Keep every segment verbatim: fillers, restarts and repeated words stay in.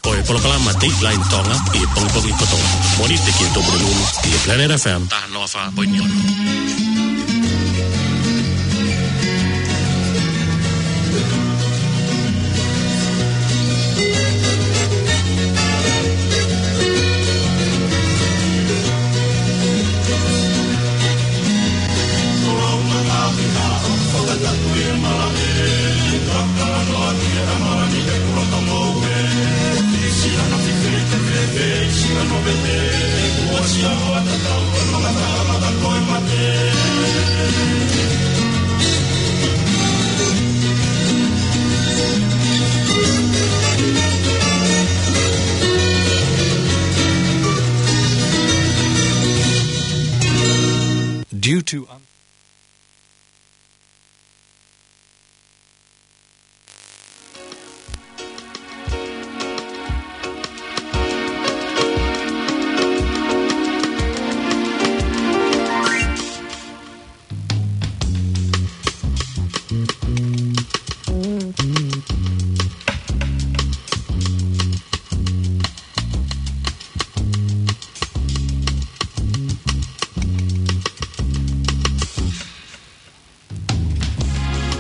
Ko e polokalama Dateline Tonga ʻi he pongipongi kotoa. Mōnite ki he Tupuna Nunu ʻi he Planet F M taha noa fā poini ono. Due to un-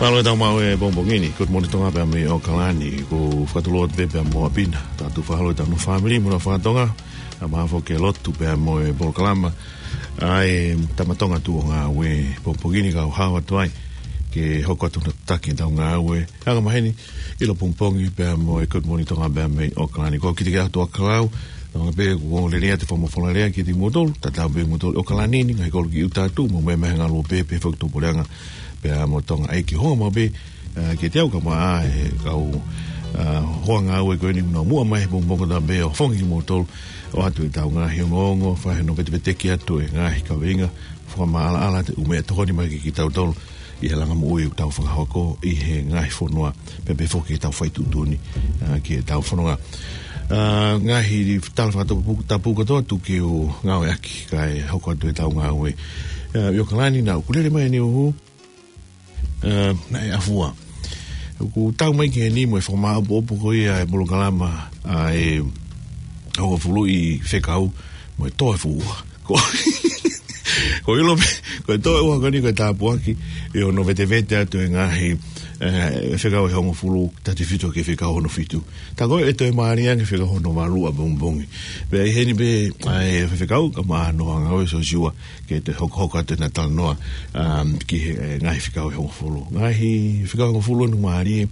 Mālō e tau maʻu e pongipongi ni, Good Morning Tonga pea mei ʻAokalani, ko Fakatuloa te pea mo Apina, tau fakaholo e tau nofo fāmili mo e nofo fakatonga, ʻa maha foki e lotu pea mo e polokalama, ʻa e Tama Tonga Tuʻu ʻo Ngāue pongipongi ni kau hao atu ai, ke hoko atu ʻo taki e tau ngāue, anga maheni, ʻilo pongipongi pea mo e Good Morning Tonga pea mei ʻAokalani. Ko Kitikiatu ʻAkalau, ʻoange pē kuo lelei atu e fakamolemole kiate kimoutolu, tatau pē kimoutolu ʻi ʻAokalani ni, ngaahi kolo ki ʻuta atu, mo e meʻa mai he ngaluope, pea foki tupuleʻanga, pea mo Tonga ʻEiki. Hoko mai pē, ā, kiate au kae ʻumaʻā e kau, ā, hoa ngāue ko eni kuo nau muʻa mai he pongipongi kotoa pē ʻo fafangu kimoutolu, ʻoatu e tau ngaahi ongoongo, fai hono veteveteki atu e ngaahi kaveinga, fakamaʻalaʻala atu e ʻū meʻa tokoni mai kiate kitautolu ʻi he langa moʻui ʻoku tau fakahoko ʻi he ngaahi fonua, pea pehē foki ki he tau fai tuʻutuʻuni, ā, ki he tau fononga. Ā, ngaahi tala fakatapu, tapu kotoa tuku ke u ngāueʻaki kae hoko atu e tau ngāue. Ā, ʻi ʻAokalani naʻa ku lele mai ʻaneuhu, ā, naʻe ʻafua. ʻOku tau mai ki heni mo e fakamāʻopoʻopo ko ia e polokalama, ā, ʻe hongofulu ʻi he fekau mo e toe fuʻu ua. Ko, ko e ʻilo pē, ko e toe ua ko eni ko e tāpuaki, ʻi hono vetevete atu e ngaahi, ē, fekau ʻe hongofulu, tautefito ki he fekau hono fitu. Tā ko ē ʻe toe mālie ange fekau hono valu ʻapongipongi. Pea ʻi heni pē, ʻa e fefekau, kae ʻumaʻā hono hoa ngāue Siosiua, ke toe hokohoko atu ʻena talanoa, um, ki he, ē, ngaahi fekau ʻe hongofulu. Ngaahi fekau ʻe hongofulu ʻoku mālie,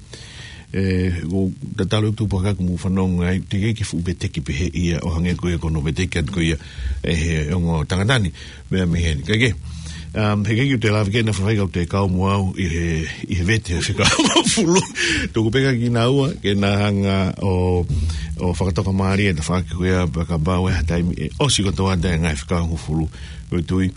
ē, ʻoku tatau ʻeku tupu hake ʻoku mou fanongo ai, teʻeki ke fuʻu veteki pehē ia ʻo hangē ko ia ko hono veteki atu ko ia ʻe he ongo tangata ni, meʻa mei heni. Kae kehe, um, he ʻikai ke u toe lave ki ai, naʻa faifai kau te kau mo au ʻi he, ʻi he vete ʻo e fekau ʻe hongofulu. Tuku pē kia kinaua ke na hanga ʻo, ʻo fakatoka mālie e tafaʻaki ko ia pea kapau ʻe ʻi ai ha taimi ʻe ʻosi kotoa atu e ngaahi fekau ʻe hongofulu. Ko e tui,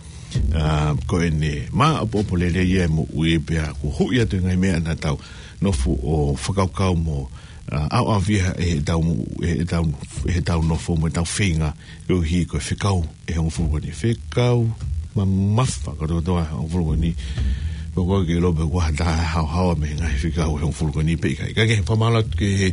ā, ko ʻene māʻopoʻopo lelei ia e moʻui pea kuo huʻi atu e ngaahi meʻa naʻa tau nofo ʻo fakakaukau mo, ā, ʻaoʻaofia ʻe heʻetau, ʻe heʻetau, ʻe heʻetau nofo mo ʻetau feinga, koeʻuhi ko e fekau ʻe hongofulu ko eni. Fekau mamafa kotokotoa ʻe hongofulu ko eni. Ko koe ke ʻilo pē kuo ʻi ai ha taha haohaoa mei he ngaahi fekau ʻe hongofulu ko eni pe ʻikai. Kae kehe, fakamālō atu ki he,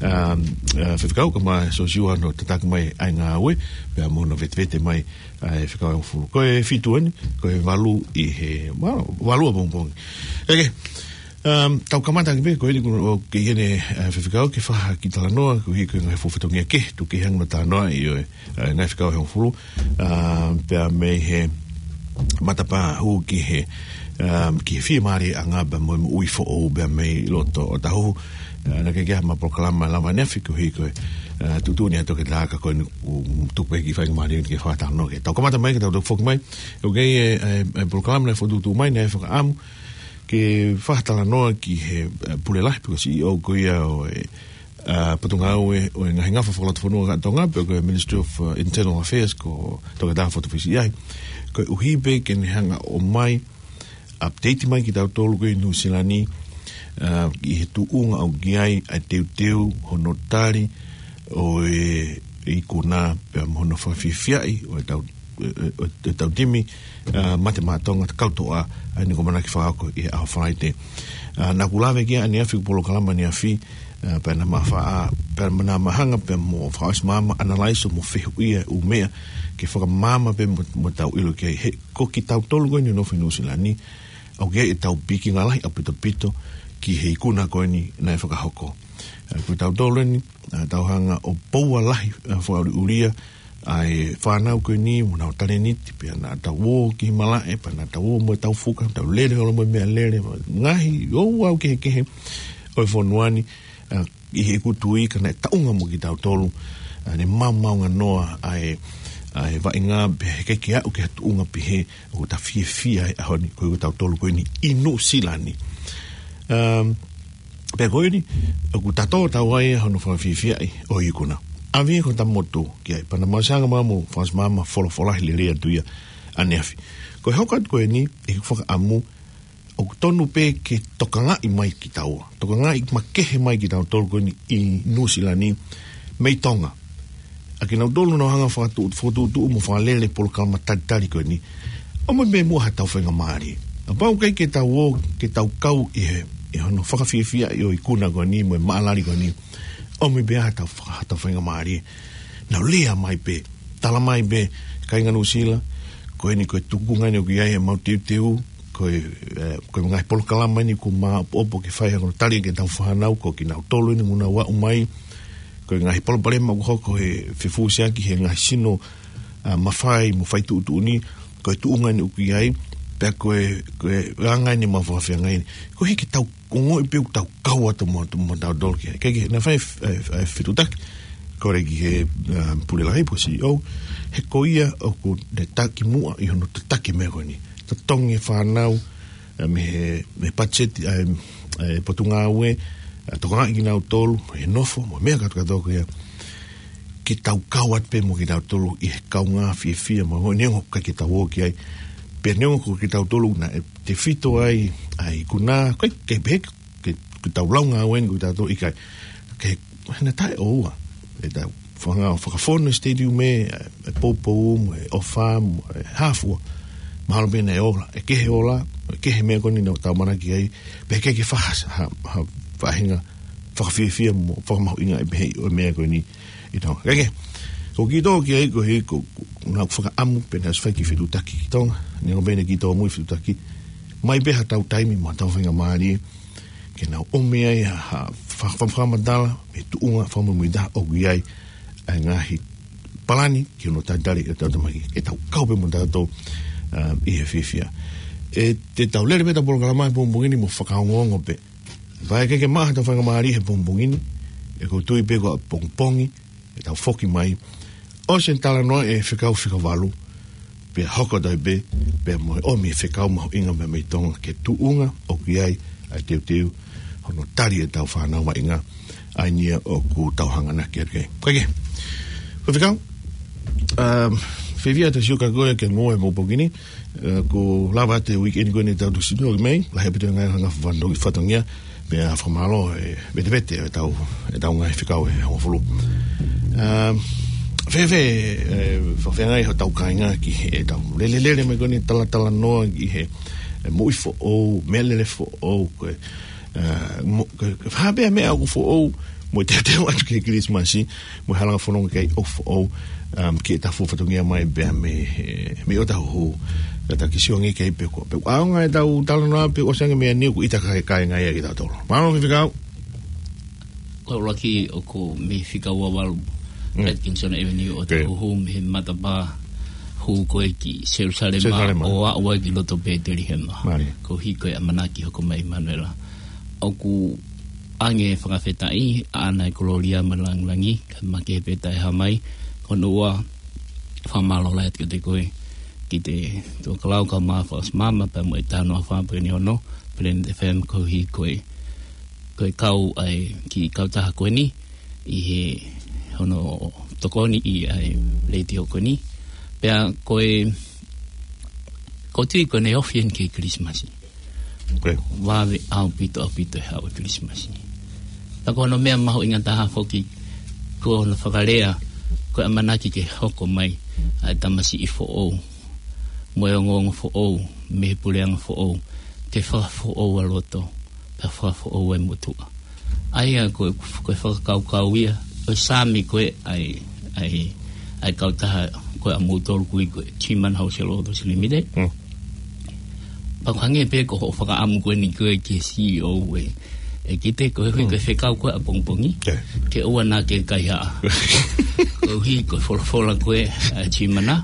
ā, ā, fefekau kae ʻumaʻā Siosiua hono tataki mai ʻa e ngāue, pea mo hono vetevete mai ʻa e fekau ʻe hongofulu. Ko e fitu eni, ko e valu ʻi he, valu, valu ʻapongipongi. Kae kehe, um, tau kamata ʻaki pē, ko eni kuo ke ʻi heni, ā, fefekau ke fai ha kiʻi talanoa, koeʻuhi ko e ngaahi fuʻu fatongia kehe, tuku ke hanga ʻo talanoaʻi ʻo e, ā, ngaahi fekau ʻe hongofulu, ā, pea mei he matapā hū ki he, um, ki he fiemālieʻanga pea mo e moʻui foʻou pea mei loto ʻo Tahuhu. Ā, naʻe ʻikai ke ʻi ai haʻama polokalama lava ʻaneafi koeʻuhi ko e, ā, tuʻutuʻuni ʻa e toketā ka ko eni kuo tuku pē ki he faingamālie ke fai ha talanoa ki ai. Tau kamata mai ke tau toki foki mai. ʻOku ʻi ai e, e, e polokalama naʻe fokotuʻutuʻu mai, naʻe fakaʻamu ke fai ha talanoa ki he, ā, pule lahi pe ko e C E O ko ia ʻo e, ā, potungāue ʻo e ngaahi ngafa fakalotofonua ʻa Tonga, pe ko e Ministry of, ā, Internal Affairs, ko Toketā Fotu Fisiʻiahi. Koeʻuhi pē ke ne hanga ʻo ʻomai update mai kiate kitautolu ko ē ʻi Nuʻu Sila ni, ā, ʻi he tuʻunga ʻoku ʻi ai ʻa e teuteu hono tali ʻo e ikuna pea mo hono fakafiefiaʻi ʻo ʻetau, ʻo, ʻo, ʻetau timi, ā, mate maʻa Tonga, Kautoʻa, ʻa eni kuo ʻamanaki fakahoko ʻi he ʻaho Falaite. ʻA, naʻa ku lave ki ai ʻaneafi, ko e polokalama ʻaneafi, ʻa, pea naʻa ma fa-, ʻa, pea naʻa ma hanga pē mo fakaʻosi maama, analyze mo fehuʻia ʻū meʻa ke fakamaama pē mo, mo tau ʻilo ki ai. He ko kitautolu ko eni ʻoku nofo ʻi Nuʻusila ni, ʻoku ʻi ai ʻetau pikinga lahi ʻaupito ʻaupito ki he ikuna ko eni naʻe fakahoko. ʻA, ko tautolu eni, ʻa, tau hanga ʻo poua lahi, ʻa, fakaʻuliʻulia ʻa e fānau ko eni mo ʻenau talēniti, pea naʻa tau ō ki malaʻe, pea naʻa tau ō mo ʻetau fuka, tau lele holo mo e meʻalele, ngaahi ouau kehekehe ʻo e fonua ni, ʻa, ʻi heʻeku tui ka naʻe taʻunga mo kitautolu, ʻa, ne maomaonganoa ʻa e, ʻa e vaʻinga pea he ʻikai ke aʻu ki ha tuʻunga pehē ʻoku ta fiefia ai he ʻaho ni, ko kitautolu ko eni ʻi Nuʻusila ni. Um, Pea ko eni, ʻoku tatau ʻetau ʻai hono fakafiefiaʻi ʻo e ikuna. ʻAve ko ta motu ki ai, pea naʻa ma ʻosi hanga mo fakaʻosi maama folofola he lelei atu ia ʻaneafi. Ko e hoko atu ko eni, ʻi heʻeku fakaʻamu, ʻoku tonu pē ke tokangaʻi mai kitaua. Tokangaʻi makehe mai kitautolu ko eni ʻi Nuʻusila ni, mei Tonga. ʻA kinautolu naʻa nau hanga fakatu-, fakatuʻutuʻu mo fakalele polokalama talitali ko eni. ʻOmai pē muʻa haʻatau faingamālie. Kapau ʻoku ʻikai ke tau ō, ke tau kau ʻi he, ʻi hono fakafiefiaʻi ʻo e ikuna ko eni, mo e maʻalali ko eni. ʻOmai pē haʻatau fa-, haʻatau faingamālie. Nau lea mai pē, tala mai pē, kāinga Nuʻusila, ko eni ko e tuʻunga eni ʻoku ʻi ai ʻemau teuteu, ko e, ʻe, ko e ngaahi polokalama eni ʻoku ma ʻopoʻopo ke fai ha ko e tali ki heʻetau fānau, ko kinautolu eni ʻoku nau aʻu mai, ko e ngaahi palopalema ʻoku hoko he fefusiaki he ngaahi sino, ʻa, mafai mo fai tuʻutuʻuni, ko e tuʻunga eni ʻoku ʻi ai, pea ko e, ko e anga eni ʻemau fakafeangai eni. Ko e hiki tau ongoʻi pē ʻoku tau kau atu mo, mo tautolu ki ai. Ke, ke, naʻe fai, ʻe, ʻe, fetuʻutaki, ko e ki he, ʻa, Pule Lahi pe ko e C E O, he ko ia ʻoku ne taki muʻa ʻi hono tataki meʻa ko eni. Totongi e fānau, ʻa, mei he, mei he patiseti, ʻa, ʻa e Potungāue, ʻa, tokangaʻi kinautolu, he nofo, mo e meʻa kātoa kātoa ko ia. Ke tau kau atu pē mo kitautolu ʻi he kaungā fiefia, mo e neongo ʻoku ʻikai ke tau ō ki ai. Pea neongo ko kitautolu naʻe tefito ai, ʻa e ikuna, ʻikai, ʻikai pehē ke, ke tau lau ngāue eni ko kitautolu ʻikai. Ke, hena taʻeʻoua. ʻE tau fanga, fakafonu e stadium ē, ʻe poupou mo e ʻofa mo e hā fua. Mahalo pē naʻe ola, ʻe kehe ola, ʻe kehe meʻa ko eni naʻa tau ʻamanaki ai, pea ʻikai ke faha-, ha, ha, faʻahinga fakafiefia mo fakamahuʻingaʻi pehē ʻo e meʻa ko eni ʻi Tonga. Kae kehe, ko kitautolu ki ai ko e, ko, ko, naʻa ku fakaʻamu pē naʻa ʻosi fai kiʻi fetuʻutaki ki Tonga, neongo pē naʻe kiʻi tōmui fetuʻutaki, ʻomai pē haʻatau taimi mo haʻatau faingamālie, ke nau ʻomi ai ha, ha, fa-, fa-, fakamatala, mei he tuʻunga fakamuimuitaha ʻoku ʻi ai, ʻa e ngaahi palani ki hono talitali ʻetau tamaki, ke tau kau pē mo tautolu, ʻa, ʻi he fiefia. ʻE, te tau lele pē ʻetau polokalama he pongipongi ni mo fakaongoongo pē. Pea ʻikai ke maʻa haʻatau faingamālie he pongipongi ni, ʻe ʻoku ou tui pē ko e pongipongi, ʻe tau foki mai. ʻOsi e talanoa ʻa e fekau fika valu, pea hoko atu ai pē, pea mo e ʻomi e fekau mahuʻinga mei, mei Tonga ki he tuʻunga ʻoku ʻi ai ʻa e teuteu, hono tali ʻetau fānau vaʻinga, ʻa eni ia ʻoku tau hanganaki atu ki ai. Kae kehe. Ko e fekau, um, fiefia atu siʻi kau ko ē ke mo e pongipongi ni, ʻe, ʻoku lava atu e uike ni ko eni ʻetau Tuʻi Sino ʻoku mei, lahi ʻaupito e ngaahi hanga fatongi-, fatongia, pea fakamālō, ʻe, vetevete ʻetau, ʻetau ngaahi fekau ʻe hongofulu. Um, fēfē, ʻe, fakafeangai hotau kāinga ki heʻetau lele, lele mai ko eni talatalanoa ki he, ʻe, moʻui foʻou, meʻalele foʻou, ko e, ʻa, mo-, ka, ka hā pē meʻa ʻoku foʻou, mo e teuteu atu ki he Kilisimasi, mo e halanga fononga ki ai ʻoku foʻou, um, ki heʻetau fuʻu fatongia mai pea mei he, mei ʻOtahuhu, ka ta kiʻi sio ange ki ai pe ko, pe ʻaonga ʻetau talanoa pe ʻosi ange meʻa ni ʻoku ʻita kāinga ia kitautolu. Mālō fefekau. Ko e ʻuluaki ʻoku mei he fika ua valu, Mm. Atkinson Avenue ʻOtahuhu, mei he matapā hū ko ē ki Selusalema, Selusalema. ʻO aʻu ai ki loto Petelihema. Mālie. Koeʻuhi ko e ʻamanaki hoko mai ʻa ʻImanuela. ʻOku ʻoange fakafetaʻi, ʻa ʻene kolōlia mo e lāngilangi, kae makehe pē taʻehāmai, ko hono ua fakamālō lahi atu kiate koe, ki he Tuʻa Kalau kae ʻumaʻā Fakaʻosi Maama, pea mo e Taha Noa Fā Poini Ono, Planet F M koeʻuhi ko e, ko e kau ai ki he kautaha ko eni, ʻi he hono tokoni ʻi he letiō ko eni. Pea ko e, ʻoku ou tui ko ʻene ofi eni ki he Kilisimasi. Ok. Vave ʻaupito, ʻaupito e haʻu e Kilisimasi. Ka ko hono meʻa mahuʻinga taha foki, ko hono fakalea, ko e ʻamanaki ke hoko mai ʻa e tamasiʻi foʻou, mo e ongoongo foʻou, mei he puleʻanga foʻou, ke fakafoʻou ʻa loto. pea fakafoʻou e motuʻa. ʻA ia ko e, ko e fakakaukau ia ʻo e Saame ko ē ʻa e, ʻa e, ʻa e kautaha ko ē ʻa moutolu ʻoku ui ko e G MANA Wholesale Autos Limited. Mm. Pea ʻoku hangē pē ko hoʻo fakaʻamu ko eni ko ē ki he C E O ē, ʻEkite, koeʻuhi ko e fekau ko ē ʻapongipongi, ke ʻoua naʻa ke kaihaʻa. Koeʻuhi ko e folofola ko ē ʻa e G MANA,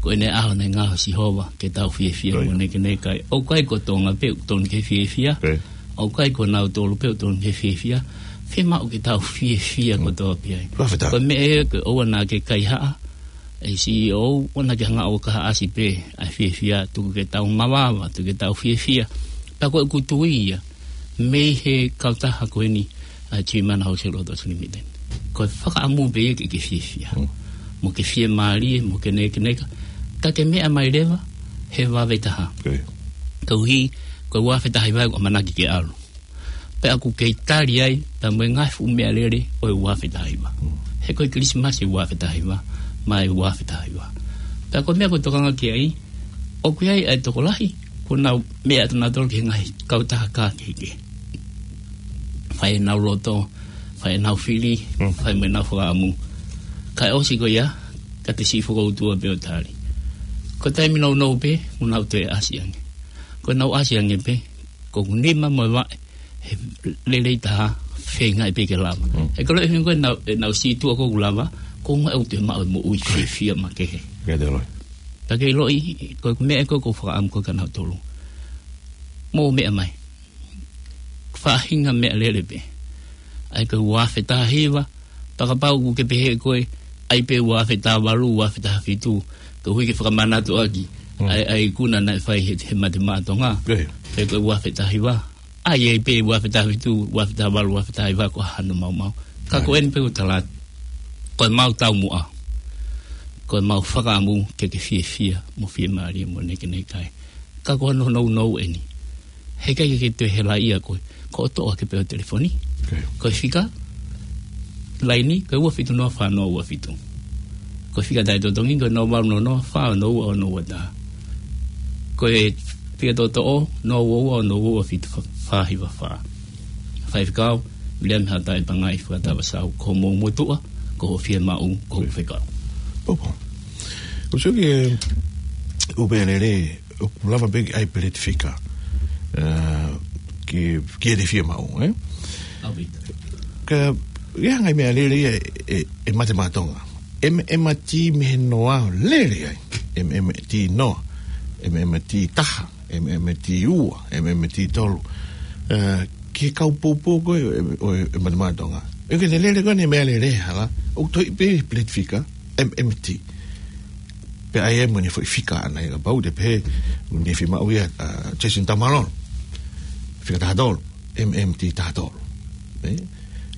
ko ʻene ʻaho naʻe ngaohi ʻe Sihova ke tau fiefia mo nekeneka ai. ʻOku ʻikai ko Tonga pē ʻoku totonu ke fiefia. ʻOku ʻikai ko nautolu pē ʻoku totonu ke fiefia. Fiemaʻu ke tau fiefia kotoa pē ai. Fakafetaʻi. Ko e meʻa ia ke ʻoua naʻa ke kaihaʻa, ʻe C E O, ʻoua naʻa ke hanga ʻo kahaʻasi pē ʻa e fiefia, tuku ke tau mavava, tuku ke tau fiefia. Pea ko ʻeku tui ia, mei he kautaha ko eni, ʻa e G MANA Wholesale Autos Limited. Ko e fakaʻamu pē ia ke ke fiefia. Mm. Mo ke fiemālie, mo ke nekeneka. Ka ke meʻa mai leva he vave taha. Koeʻuhi, ko e ua afe taha hiva ʻoku ʻamanaki ke ʻalu. Pea ʻoku kei tali ai, pea mo e ngaahi fuʻu meʻalele ʻo e ua afe taha hiva. Mm. He ko e Kilisimasi ua afe taha hiva, mo e ua afe taha hiva. Pea ko e meʻa ʻoku ou tokanga ki ai, ʻoku ʻi ai ʻa e tokolahi, ʻoku nau meʻa atu nautolu ki he ngaahi kautaha kehekehe. Fai ʻenau loto, fai ʻenau fili, fai mo ʻenau fakaʻamu. Kae ʻosi ko ia, ka te siʻi fokoutua pē ʻo tali. Ko e taimi nounou pē, ʻoku nau toe ʻasi ange. Ko ʻenau ʻasi ange pē, ko ʻeku nima mo e vaʻe, he lelei taha, feingaʻi pē ke lava. Mm. He ko e loʻi hingo ʻenau, ʻenau sītuʻa ko ʻeku lava, ko e ʻuhinga ʻoku te maʻu e moʻui fiefia makehe. Ka ke loʻi, ko e meʻa ko ē ʻoku ou fakaʻamu ko ē kia nautolu. Mou meʻa mai. Faʻahinga meʻalele pē. ʻA ia ko e ua afe taha hiva, pea kapau ʻoku ke pehē koe, ʻai pē ua afe taha valu, ua afe taha fitu, koeʻuhi ke fakamanatu ʻaki ʻa e, ʻa e ikuna naʻe fai he, he Mate Maʻa Tonga. Pea ko e ua afe taha hiva, ʻai, ʻai pē ua afe taha fitu, ua afe taha valu, ua afe taha hiva, ko hano maumau. Ka ko eni pē ʻoku ou tala atu, ko ʻemau taumuʻa, ko ʻemau fakaʻamu ke ke fiefia mo fiemālie mo nekeneka ai. Ka ko hono nounou eni. Heʻikai ke ke toe helaʻia koe, ko hoʻo toʻo hake pē ʻo telefoni. Ko e fika, laini, ko e ua fitu noa fā noa ua fitu. Ko e fika taʻetotongi, ko e noa valu noa noa fā ono ua ono ua taha. Ko e fika toʻotoʻo, noa ua ua ono ua ua fitu fā hiva fā. Faifekau Viliami Haʻatai Pangai Fakatava Sau, ko homou motuʻa, ko hoʻo fiemaʻu, ko hoʻo fekau. Popo. ʻOku ou sio ki he ʻū meʻalele, ʻoku lava pē ke ʻai peleti fika, ē, ki, ki heʻene fiemaʻu, ē? ʻAupito. Ka, ʻi ai ha ngaahi meʻalele ia ʻe, ʻe, ʻe Mate Maʻa Tonga. M M T mei he noa lele ai. M M T noa. M M T taha. M M T ua. M M T tolu. Ē, ki he kau poupou ko ē, ʻo e, ʻo e Mate Maʻa Tonga. ʻOku ke lele ko eni meʻalele hala. ʻOku toʻo pē peleti fika. M M T. Pea ʻai mo ʻene foʻi fika ʻana ia kapau te pehē, ʻoku ne fiemaʻu ia, ʻa, Jason Taumalolo. Fika taha tolu, M M T taha tolu. Ē?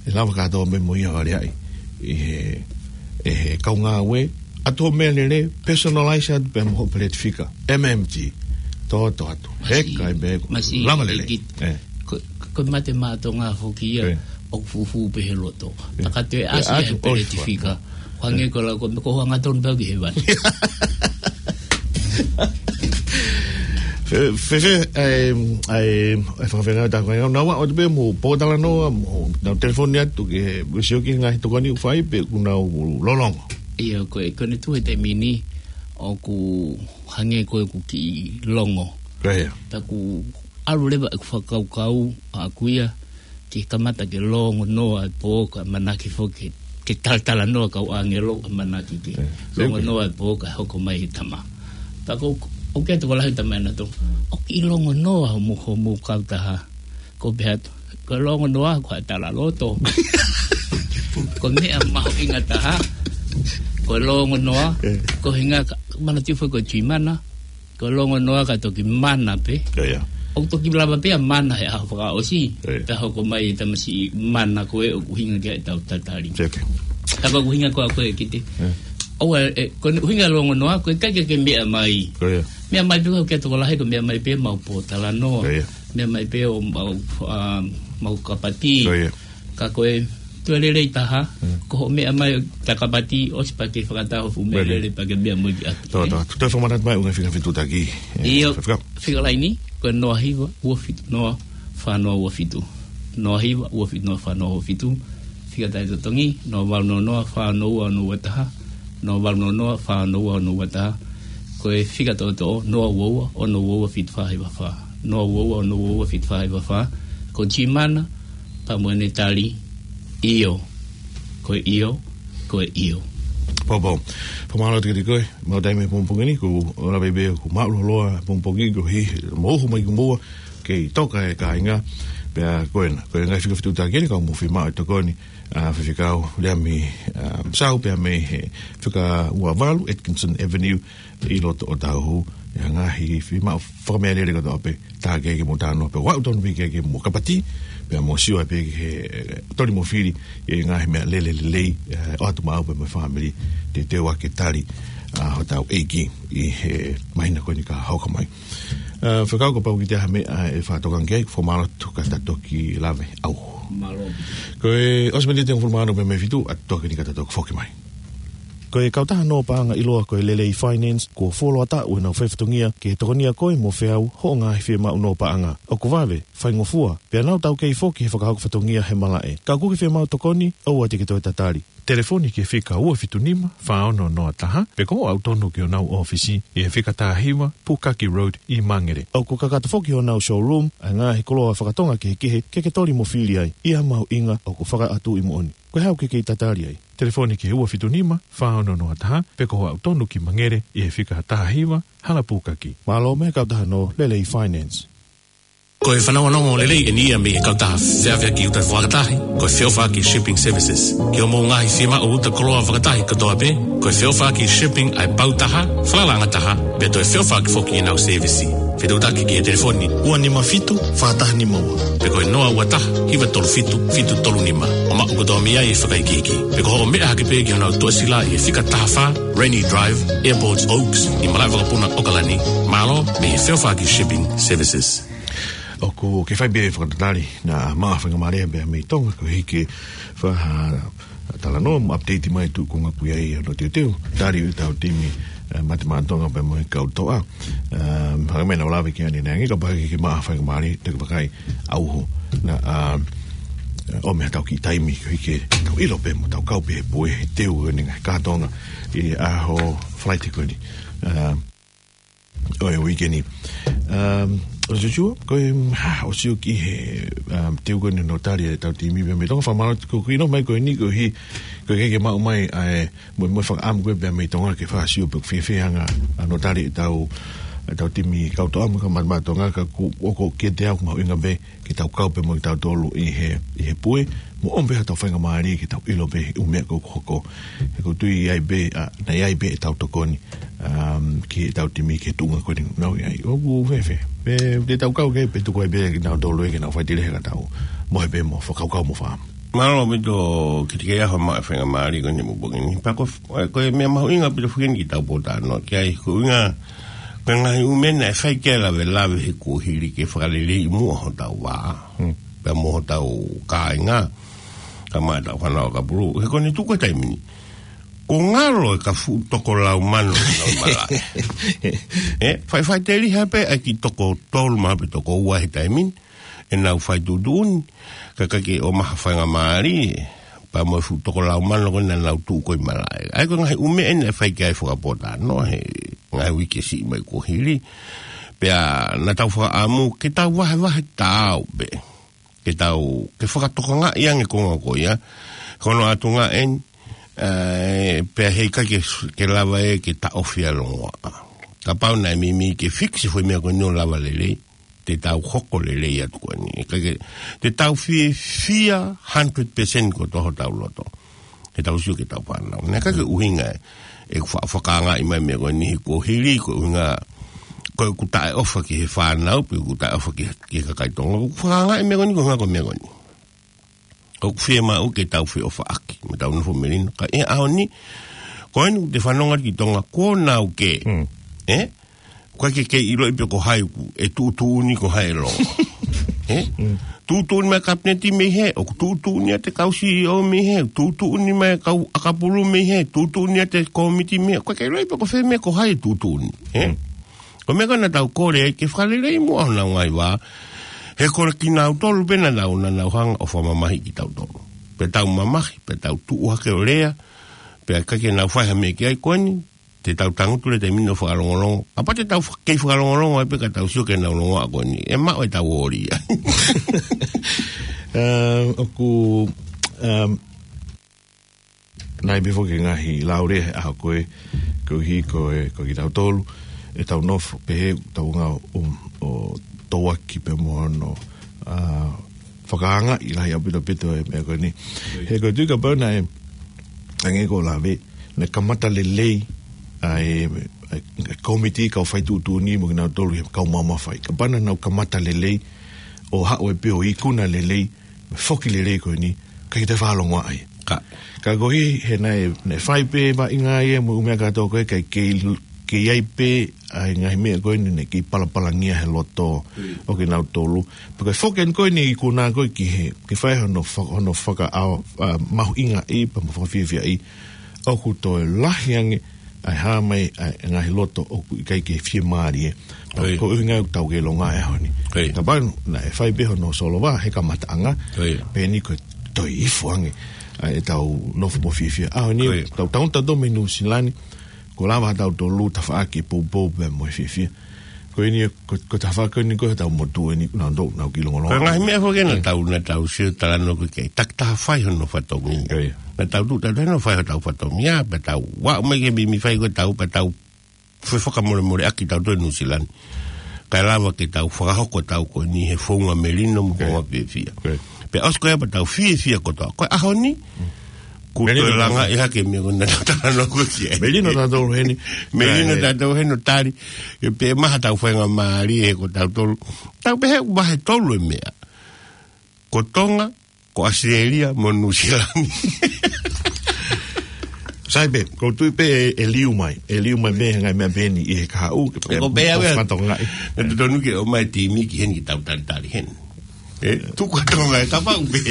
ʻE lava kātoa mo ia ʻo aleaʻi ʻe he, ʻe he kau ngāue, ʻa e meʻalele, personalize atu pē mo hoʻo peleti fika, M M T. Toto atu. Masiʻi, heka ai pē, masiʻi, lava lele. ʻEkite. Ē. Ko, ko Mate Maʻa Tonga foki ia, ʻoku fufū pē he loto. Ka te ʻasi ʻi he peleti fika. Hangē ko e lau ko e meʻa ko e hangatonu pē au ki hēvani. Fēfē, ʻa e, ʻa e, ʻa e fakafenga ta ko e naua, ʻoua te pē mo pōtalanoa, mo nau telefoni atu ke, mo sio ki he ngaahi tokoni ʻoku fai pe ʻoku nau lōlongo. ʻIo, ko e, ko ʻene tuʻu he taimi ni, ʻoku hangē ko ʻeku kiʻi longo. Pea ʻoku ʻalu leva ʻeku fakakaukau ʻaʻaku ia, ke kamata ke longonoa e pō kae ʻamanaki foki ke, ke talatalanoa kau ʻāngelo ʻamanaki ke longonoa e pō kae hoko mai e tama. Pea ko, ʻoku ʻi ai e tokolahi ʻoku talamai ʻenautolu, ʻoku kiʻi longonoa hoʻomou, hoʻomou kautaha. Ko u pehē atu, ko e longonoa ko e talaloto. Ko e meʻa mahuʻinga taha. Ko e longonoa, ko e ʻuhinga ka, manatuʻi foki ko e G MANA, ko e longonoa ka toki mana pē. ʻIo, ʻio. ʻOku toki lava pē ʻa e mana he ʻaho fakaʻosi. ʻIo. Pea hoko mai e tamasiʻi mana ko ē ʻoku ʻuhinga ki ai ʻetau tatali. Seke. Ka ko e ʻuhinga ko ē ʻaʻaku ʻEkite. ʻIo. ʻOua, ē, ko e ʻuhinga e longonoa, ko e ʻikai ke ke meʻa mai. ʻIo. Meʻa mai pē ko e tokolahi ko e meʻa mai pē mau pōtalanoa. ʻIo. Meʻa mai pē ʻo mau, ʻa, mau kapati. ʻIo. Ka ko e toe lelei taha, ko hoʻo meʻa mai ʻo ta kapati ʻosi pea ke fakataha hoʻo fuʻu meʻalele pea ke meʻa mo ia ki ʻapi. Tō, tō, toe fakamanatu mai ʻū ngaahi fika fetuʻutaki. ʻIo, fika laini, ko e noa hiva, ua fitu noa, fā noa ua fitu. Noa hiva ua fitu noa fā noa ua fitu. Fika tali totongi, noa valu noa noa fā noa ua noa ua taha. Noa valu noa noa fā noa ua noa ua taha. Ko e fika toʻotoʻo, noa ua ua ono ua ua fitu fā hiva fā. Noa ua ua ono ua ua fitu fā hiva fā. Ko Jimana, pea mo ʻene tali, ʻio. Ko e ʻio, ko e ʻio. Pau, pau. Fakamālō atu kiate koe, maʻu taimi he pongipongi ni, ko e lave pē ʻoku māʻulalo ʻa e pongipongi, ko e hā, mou ō mai ki muʻa, kei toka e kāinga, pea ko ena, ko e ngaahi fika fetuʻutaki eni, ka mou fiemaʻu e tokoni, ʻa Faifekau Leami, ʻa, Sau, pea mei he fika ua valu Atkinson Avenue, ʻi loto ʻo Tauhu, ʻa e ngaahi fiemaʻu fakameʻalele kotoa pē, tā ke ke mo tāno pē, ʻoatu tonu pē ke ke mo kapati, pea mo sio ai pē ki he, ʻe, toli mo fili, ʻa e ngaahi meʻalele lelei, ʻe, ʻoatu maʻau pē mo e fāmili, teuteu ʻa e tali, ʻa hotau ʻEiki, ʻi he māhina ko eni ka hoko mai. ʻA, Faifekau, kapau ʻoku ʻi ai ha meʻa, ʻe fakatokanga ki ai, fakamālō atu ka ta toki lave ʻauho. Mālō. Ko e ʻosi miniti ʻe hongofulu mā ono pē mei he fitu, ʻa toki ni ka ta toki foki mai. Ko e kautaha nō paʻanga ʻiloa ko e Lelei Finance, kuo fuoloa taʻu ʻenau faifatongia ke tokonia koe mo feau hoʻo ngaahi fiemaʻu nō paʻanga. ʻOku vave, faingofua, pea nau taukei foki he fakahoko fatongia he malaʻe. Ka ʻoku ke fiemaʻu tokoni, ʻoua te ke toe tatali. Telefoni ki he fika ua fitu nima fā ono noa taha, pe ko hoʻo aʻu tonu ki honau ʻōfisi, ʻi he fika taha hiva Pukaki Road ʻi Mangere. ʻOku kakato foki honau showroom, ʻa e ngaahi koloa fakatonga kehekehe, ke ke toli mo fili ai, ʻi ha mahuʻinga ʻoku fakaʻatu ʻi moʻoni. Ko e hā ʻoku ke kei tatali ai? Telefoni ki he ua fitu nima fā ono noa taha, pe ko hoʻo aʻu tonu ki Mangere, ʻi he fika taha hiva Hala Pukaki. Mālō mei he kautaha nō Lelei Finance. Ko e fanongonongo lelei eni ia mei he kautaha feʻaveʻaki uta fakatahi, ko e Feʻofaʻaki Shipping Services. Ki hoʻomou ngaahi fiemaʻu uta koloa fakatahi kotoa pē, ko e Feʻofaʻaki Shipping ʻa e pau taha, falala angataha, pea toe feʻofaʻaki foki ʻenau sēvisi. Fetuʻutaki ki he telefoni ua nima fitu fā taha nima ua, pe ko e noa ua taha hiva tolu fitu fitu tolu nima. ʻO maʻu kotoa mei ai e fakaikiiki. Pe ko hoʻo meʻa hake pē ki honau tuʻasila ʻi he fika taha fā Rainy Drive, Airport Oaks, ʻi malaʻe vakapuna ʻAokalani, mālō mei he Feʻofaʻaki Shipping Services. ʻOku ke fai pē fakatatali, naʻa maʻu ha faingamālie pē mei Tonga, koeʻuhi ke fakatalanoa mo update mai tuʻu ko ē ʻoku ʻi ai hono teuteu, tali ʻetau timi, ʻe, Mate Maʻa Tonga pea mo e kau toʻa. ʻE, hangē ko e meʻa naʻa ku lave ki ai ʻanenai ange, kapau ʻoku ke maʻu ha faingamālie, te ke vakai ʻauho, naʻa, ʻe, ʻomai haʻatau kiʻi taimi, koeʻuhi ke tau ʻilo pē mo tau kau pē he pue, he teu ʻo e ngaahi kātoanga, ʻi he ʻaho Falaite ko eni. ʻE, ʻo e uike ni. Um, ʻOtua, ko e, ha, ʻosi ʻoku ʻi he, um, teu ko eni hono tali ʻetau timi pea mei Tonga, fakamālō atu ko e kiʻi nofo mai ko eni koeʻuhi, ko e ke ke maʻu mai ʻa e, mo, mo e fakaʻamu ko ē pea mei Tonga ke fakasio pe ʻoku fiefia ange ʻa hono tali ʻetau, ʻetau timi kau toʻa mo e kau Mate Maʻa Tonga ka ʻoku, ʻoku kiate au ʻoku mahuʻinga pē ke tau kau pē mo kitautolu ʻi he, ʻi he pue, mo ʻomai pē haʻatau faingamālie ke tau ʻilo pē ʻū meʻa ko ē ʻoku hoko. He ʻoku ou tui ʻi ai pē, ʻa, naʻe ʻi ai pē ʻetau tokoni, um, ki heʻetau timi ki he tuʻunga ko eni naʻa nau ʻi ai. ʻOku fēfē. Pe, te tau kau ki ai pe tuku ai pē kinautolu ia ke nau fai tili he ka tau mohe pē mo fakakaukau mo fakaʻamu. Mālō ʻaupito, kiate au ʻoku maʻu e faingamālie ko eni he pongipongi ni. Pea ko, ko e meʻa mahuʻinga ʻaupito foki eni ki heʻetau pōtalanoa ki ai, ko e ʻuhinga, ko e ngaahi ʻū meʻa naʻe fai ki ai e lavelave he kuohili ke fakaleleiʻi muʻa hotau vā. Hmm. Pea mo hotau kāinga, kae ʻumaʻā ʻetau fānau ʻakapulu. He ko eni tuku e taimi ni, kuo ngalo e ka fuʻu toko lau mano ʻenau malaʻe. ʻE, fai, faʻiteliha pē ʻa e kiʻi toko tolu mā pe toko ua he taimi ni ʻenau fai tuʻutuʻuni, ka ʻikai ke ʻomai ha faingamālie, pea mo e fuʻu toko lau mano ko ē naʻa nau tuʻu ko ē ʻi malaʻe. ʻA ia ko e ngaahi ʻū meʻa eni naʻe fai ki ai e fakapōtalanoa he ngaahi uike siʻi mai kuohili. Pea naʻa tau fakaʻamu ke tau vahevahe taau pē. Ke tau, ke fakatokangaʻi ange e konga ko ia. Ko hono ʻuhinga eni, ʻe, pea heʻikai ke, ke lava ʻe ke taʻofi ʻa e longoaʻa. Kapau naʻe meimei ke fix e foʻi meʻa ko eni ʻo lava lelei, te tau hoko lelei atu ko eni. Ka ke, te tau fiefia hundred percent kotoa hotau loto he tau sio ki heʻetau fānau. Naʻe ʻikai ke ʻuhinga ʻeku fa-, fakaangaʻi mai e meʻa ko eni he kuohili, ko e ʻuhinga ko ʻeku taʻeʻofa ki he fānau, pe ʻeku taʻeʻofa ki, ki he kakai Tonga. ʻOku ou fakaangaʻi e meʻa ko eni, ko e ʻuhinga ko e meʻa ko eni. ʻOku fiemaʻu ke tau feʻofaʻaki, mo tau nofo melino. Ka ʻi he ʻaho ni, ko eni ʻoku te fanongo ki Tonga, kuo nau kē. Hmm. ʻE? ʻOku ʻikai ke kei ʻiloʻi pe ko hai ʻoku, ʻe tuʻutuʻuni, ko hai ʻe longo. ʻE? Hmm. Tuʻutuʻuni mai e kapineti mei hē, ʻoku tuʻutuʻuni atu e kau C E O mei hē, tuʻutuʻuni mai e kau ʻakapulu mei hē, tuʻutuʻuni atu e kōmiti mei hē, ʻoku ʻikai ke ʻiloʻi pe ko fē meʻa ko hai ʻe tuʻutuʻuni. ʻE? Hmm. Ko e meʻa ko ē naʻa tau kole ai ke fakaleleiʻi muʻa honau ngaahi vā. He ko kinautolu pē naʻa nau, naʻa nau hanga ʻo fakamamahiʻi kitautolu. Pea tau mamahi, pea tau tuʻu hake ʻo lea, pea ʻikai ke nau fai ha meʻa ki ai. Ko eni, te tau tangutu leva he taimi ni ʻo fakalongolongo. Kapau te tau fa-, kei fakalongolongo ai pē ka tau sio ki he ngaahi longoaʻa ko eni, ʻe maʻu ʻetau ʻōlia. Eh, ʻoku, em, naʻe ʻi ai pē foki e ngaahi laulea he ʻaho ko ē, koeʻuhi ko e, ko kitautolu, ʻetau nofo pehē, tau ngā, um, ʻo tauaki pē mo hono, ah, fakaangaʻi lahi ʻaupito ʻaupito e meʻa ko eni. He ko e tui kapau naʻe, hangē ko e lave, naʻe kamata lelei ʻa e, e, e kōmiti kau fai tuʻutuʻuni mo kinautolu he kau maʻu mafai. Kapau naʻa nau kamata lelei, ʻo haʻu ai pē ʻo ikuna lelei, foki lelei ko eni, ʻikai ke toe fakalongoaʻa ai. Ka. Ka koeʻuhi he naʻe, naʻe fai pē vaʻinga ia mo e ʻū meʻa kātoa ko ē, ʻikai ke, ke ʻi ai pē ʻa e ngaahi meʻa ko eni naʻe kei palapalangia he loto ʻo kinautolu. Pea ko e foki eni ko eni ikuna ko ē ki he, ke fai hono fa-, hono faka-, a, a, mahuʻingaʻi, pea mo fakafiefiaʻi. ʻOku toe lahi ange ʻa e hā mai ʻa e ngaahi loto ʻoku ʻikai ke fiemālie. Ko ia. Ko e ʻuhinga ʻoku tau kei longoaʻa he ʻaho ni. Ko ia. Kapau naʻe fai pē hono solova he kamataʻanga. Ko ia. Pea eni ko e toe ifo ange ʻa ʻetau nofo mo fiefia. ʻAho ni, ko ia, tau, tau, tau tō mei Nuʻu Sila ni, kuo lava ha tautolu tafaʻaki poupou pea mo e fiefia. Ko eni, ko, ko e tafaʻaki ko eni ko ē hotau motuʻa ni, naʻa nau, nau kei longolongo. Ko e ngaahi meʻa foki ē naʻa tau, naʻa tau sio talanoa ki ai, takitaha fai hono fatongia. Ko ia. Naʻa tau tuʻu, tau tuʻu hono fai hotau fatongia, pea tau, ʻoua mai ke mimi fai ko ē tau, pea tau fefakamolemoleʻaki tautolu ʻi Nuʻu Sila ni. Kae lava ke tau fakahoko ʻetau ko eni he founga melino mo e founga fiefia. Ko ia. Pea ʻosi ko ia pea tau fiefia kotoa. Ko e ʻaho ni, kuo toe langaʻi hake e meʻa ko ē naʻa tau talanoa ki ai. Melino tautolu heni. Melino tautolu heni ʻo tali. Pea maha ʻetau faingamālie he ko tautolu. Tau pehē ʻoku vahe tolu e meʻa. Ko Tonga, ko ʻAositelēlia, mo Nuʻu Sila ni. Sai pē, ʻoku ou tui pē ʻe, ʻe liu mai. ʻE liu mai pē he ngaahi meʻa pehē ni ʻi he kahaʻu, ke pē, ko pē au ia. Fakatongaʻi. Naʻe totonu ke ʻomai e timi ki heni ke tau talitali heni. ʻE, tuku ʻa Tonga ē kapau pē.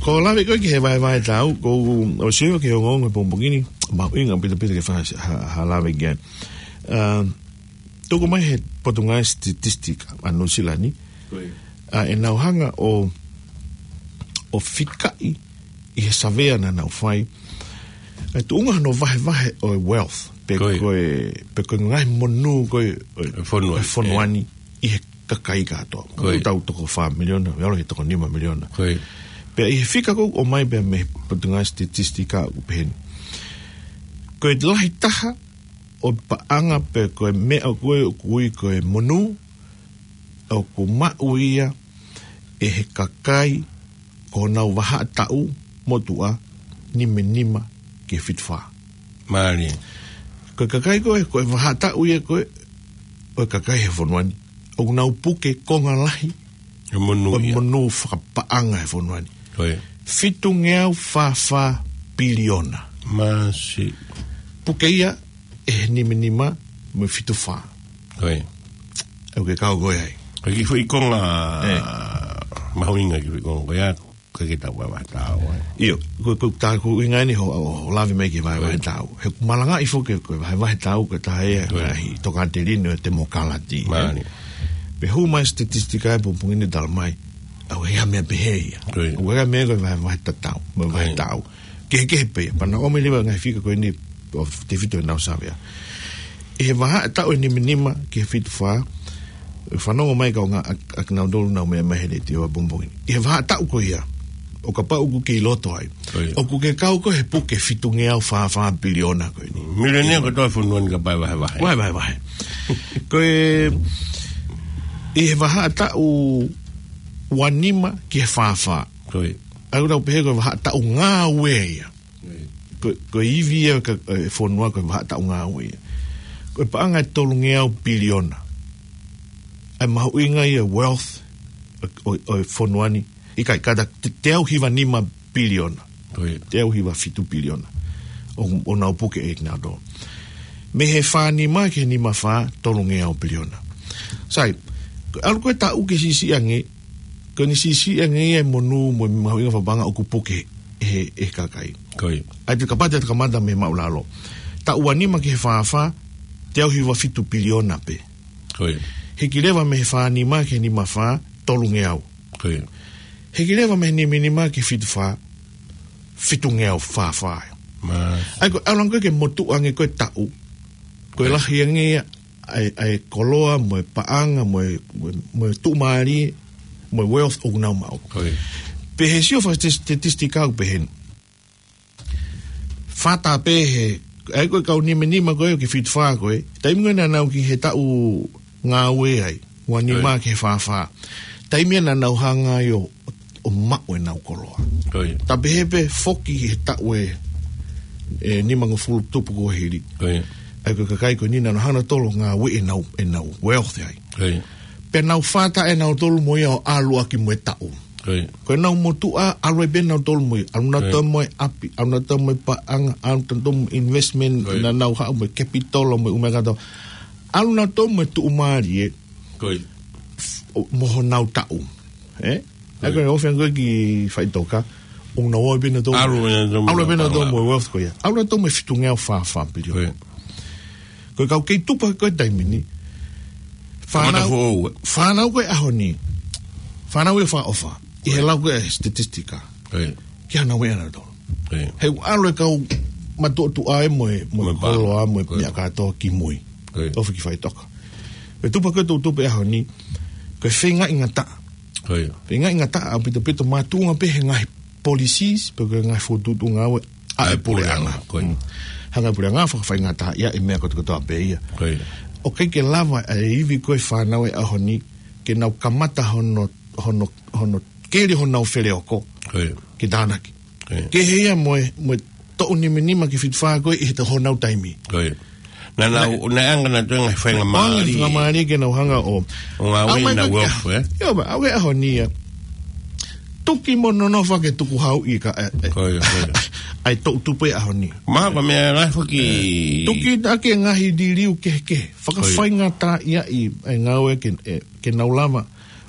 Ko e lave ko ē ki he vahevahe tau, ʻoku ou sio ki he ongoongo he pongipongi ni, mahuʻinga ʻaupito ʻaupito ke fai ha, ha lave ki ai. Ah, tuku mai he Potungāue Statistic ʻa Nuʻu Sila ni. Ko ia. Ah, ʻenau hanga ʻo, ʻo fikaʻi ʻi he savea naʻa nau fai. ʻA e tuʻunga hono vahevahe ʻo e wealth. Pe ko ia. Ko e, pe ko e ngaahi monū ko ē ʻo e, e fonua, ʻo e fonua ni ʻi he kakai kātoa. Ko ia. Tau toko fā miliona, ʻalu ki he toko nima miliona. Ko ia. Pea ʻi he fika ko ē ʻoku ʻomai pē mei he Potungāue Statistic ʻoku pehē ni. Ko e lahi taha ʻo e paʻanga pe ko e meʻa ko ē ʻoku ui ko e monū, ʻoku maʻu ia ʻe he kakai ko honau vahaʻa taʻu motuʻa nima nima ki he fitu fā. Mālie. Ko e kakai ko ē, ko e vahaʻa taʻu ia ko ē ʻo e kakai he fonua ni, ʻoku nau puke konga lahi e monū ʻo e ia. Monū fakapaʻanga he fonua ni. Ko ia. Fitungeau fā fā piliona. Māsiʻi. Puke ia ʻe he nima nima mo e fitu fā. Ko ia. ʻOku ke kau koe ai. Ko e kiʻi foʻi konga, ē, mahuʻinga kiʻi foʻi konga ko ia, ʻikai ke tau vahevahe tau, ē. ʻIo, ko, ko e tā ko e ʻuhinga eni hoʻo, hoʻo lave mai ki he vahevahe tau. He ʻoku malangaʻi foki ko e vahevahe tau ko e taha ia e ngaahi tokāteline ʻo e temokalati, ē. Mālie. Pea hū mai e statistika he pongipongi ni tala mai, ʻoku ʻikai ha meʻa pehē ia. Ko ia. ʻOku ʻikai ha meʻa ko e vahevahe tatau, mo e vahe tau. Kehekehe pē, pea naʻe ʻomai leva e ngaahi fika ko eni ʻo tefito ʻenau savea. ʻI he vahaʻa taʻu ʻe nima nima ki he fitu fā, fanongo mai kaungā ʻa, ʻa kinautolu naʻa nau meʻa mai he letiō he pongipongi ni. ʻI he vahaʻa taʻu ko ia, ʻo kapau ʻoku ke ʻi loto ai, ko ia, ʻoku ke kau koe he puke fitungeau fā fā piliona ko eni. Milionea kotoa e fonua ni kapau ʻe vahevahe. Vahevahe, vahe. Ko e, ʻi he vahaʻa taʻu ua nima ki he fā fā. Ko ia. ʻA ia ʻoku tau pehē ko e vahaʻa taʻu ngāue ia. Ko, ko e ivi ia ka, e fonua ko e vahaʻa taʻu ngāue ia. Ko e paʻanga ʻe tolungeau piliona ʻa e mahuʻinga ia wealth ʻo, ʻo, ʻo e fonua ni. ʻIkai, kātaki te, teau hiva nima piliona. Ko ia. Teau hiva fitu piliona. ʻO, ʻo nau puke ʻe kinautolu. Mei he fā nima ki he nima fā, tolungeau piliona. Sai, ʻalu ko e taʻu ke siʻisiʻi ange, ko eni siʻisiʻi ange ia e monū mo e mahuʻinga fakapaʻanga ʻoku puke ʻe he, ʻe he kakai. Ko ia. ʻA ia te u kamata, te u kamata mei he māʻulalo. Taʻu ua nima ki he fā fā, teau hiva fitu piliona pē. Ko ia. Hiki leva mei he fā nima ki he nima fā, tolungeau. Ko ia. Hiki leva mei he nima nima ki he fitu fā, fitungeau fā fā. Mā. ʻA ia ko e ʻalu ange ko ē ke motuʻa ange ko ē taʻu. Ko e Ko ia. lahi ange ia, ʻa e, ʻa e koloa, mo e paʻanga, mo e, mo e, mo e tuʻumālie, mo e wealth ʻoku nau maʻu. Ko ia. Pea ʻi he sio faka-, statistika ʻoku pehē ni. Fata pē he, ʻa ia ko e kau nima nima ko ē ki he fitu fā ko ē. Taimi ko ē naʻa nau ki he taʻu ngāue ai, ua nima Ko ia. ki he fā fā. Taimi ia naʻa nau hanga ai ʻo, ʻo maʻu ʻenau koloa. Ko ia. Ta pehē pē foki he taʻu ʻe, ʻe nimangofulu tupu kuo hili. Ko ia. ʻA ia ko e kakai ko eni naʻa nau hanga ʻo ngāueʻi ʻenau, ʻenau wealth ai. Ko ia. Pea nau fata ʻenau tolu mo ia ʻo ʻalu ʻaki mo e taʻu. Ko ia. Ko ʻenau motuʻa, ʻalu ai pē nautolu mo ia. ʻAlu nautolu Ko ia. mo e ʻapi, ʻalu nautolu mo e paʻanga, ʻalu nautolu mo e investment, Ko ia. naʻa nau haʻu mo e capital, mo e ʻū meʻa kātoa. ʻAlu nautolu mo e tuʻumālie, Ko ia. ʻo, mo honau taʻu. Ē? Ko ia. ʻA ia ko e ʻofa ange ko ē ki faʻitoka, ʻoku nau ō pē nautolu. ʻAlu pē nautolu mo ʻAlu pē nautolu paʻanga. mo e wealth ko ia. ʻAlu nautolu mo e fitungeau fā fā piliona. Ko ia. Ko e kau kei tupu ko ē taimi ni. Fānau, Kamata foʻou, ē? fānau ko ē ʻaho ni. Fānau ʻe fā ʻofa. ʻI he lau ko ē statistika. Ko ia. Ki hana wea na tolo. Ko ia. He ʻalu e kau matuʻotuʻa ē mo e, mo e Mo e pā. koloa, mo e Ko ia. meʻa kātoa ki mui. Ko ia. ʻOfa ki faʻitoka. Ko e tupu ko ē ʻoku tupu ʻaho ni. Ko e feingaʻi ngataʻa. Ko ia. Feingaʻi ngataʻa ʻaupito pito mātuʻunga pē he ngaahi policies, pe ko e ngaahi fokotuʻutuʻu ngāue ʻa ʻA e e puleʻanga. puleʻanga, ko ia. Mm. Hanga e puleʻanga fakafaingataʻaʻia e meʻa kotokotoa pē ia. Ko ia. ʻOku ʻikai ke lava e ivi ko ē fānau e ʻaho ni, ke nau kamata hono, hono, hono keli honau feleoko. Ko ia. Ke tānaki. Ko ia. Kehe ia mo e, mo e toʻu nima nima ki he fitu fā ko ē ʻi he honau taimi. Ko ia. Naʻa nau, Naʻe naʻe anga nautolu e ngaahi faingamālie. Faingamālie ke nau hanga ʻo. ʻO ngāueʻi ʻAumai ʻenau ko e wealth, ē? ʻIo, ma, ʻa e ʻaho ni ia. Tuki mo nonofo ke tukuhauʻi ka, ē, ē. Ko ia, ko ia. ʻA e toʻu tupu e ʻaho ni. Mā, ko e meʻa lahi foki. Tuki ʻaki e ngaahi liliu kehekehe. Ko ia. Fakafaingataʻaʻia ʻi he ngāue ke, ē, ke nau lava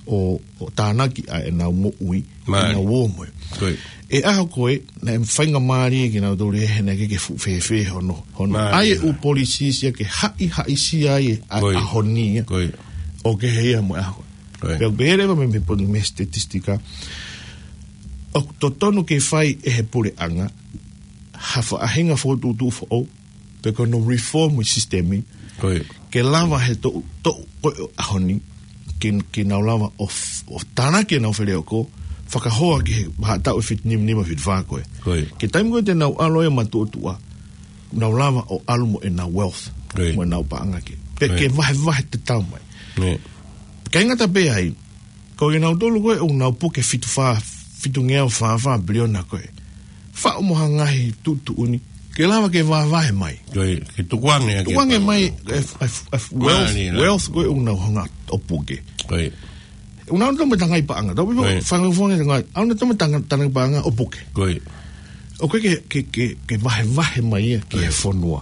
ʻo, ʻo tānaki ʻa ʻenau moʻui, Mā. ʻenau ō mo e. Ko ia. ʻI he ʻaho ko ē, naʻe faingamālie kinautolu he naʻe ʻikai ke fuʻu fēfē hono, hono. Mā, ʻA ia ia. ʻū policies ia ke haʻihaʻisia ai ʻa e Ko ia. ʻaho ni ia. Ko ia. ʻO kehe ia mo e ʻaho. Ko ia. Pea ʻoku pehē leva mei, mei he poli-, mei he statistika. ʻOku totonu ke fai ʻe he puleʻanga ha faʻahinga fokotuʻutuʻu foʻou, pe ko hono reform e sisitemi, Ko ia. ke lava he toʻu, toʻu ko ē ʻaho ni, ke, ke nau lava ʻo f-, ʻo tānaki ʻenau feleoko, fakahoa ki he vahaʻa taʻu ʻe fitu nima nima fitu fā ko ē. Ko ia. Ki he taimi ko ē te nau ʻalu ai matuʻotuʻa, nau lava ʻo ʻalu mo ʻenau wealth, Ko ia. mo ʻenau paʻanga ke. Pea Ko ia. ke vahevahe tatau mai. Ko ia. ʻIkai ngata pē ai, ko kinautolu ko ē ʻoku nau puke fitu fā, fitungeau fā fā piliona ko ē. Faʻu mo ha ngaahi tuʻutuʻuni, ke lava ke vahevahe mai. Ko ia, ke tukuange ʻaki Tukuange e mai, paʻanga. e, e, e, wealth, Mali, la. wealth ko ē ʻoku nau hanga ʻo puke. Ko ia. ʻOku nau tō mo e ngaahi paʻanga, tau Ko ia. fanga fanga ngaahi, ʻoku nau tō mo e ngaahi paʻanga ʻo puke. Ko ia. ʻOku ke, ke, ke, ke vahevahe mai ia ki he Ko ia. fonua.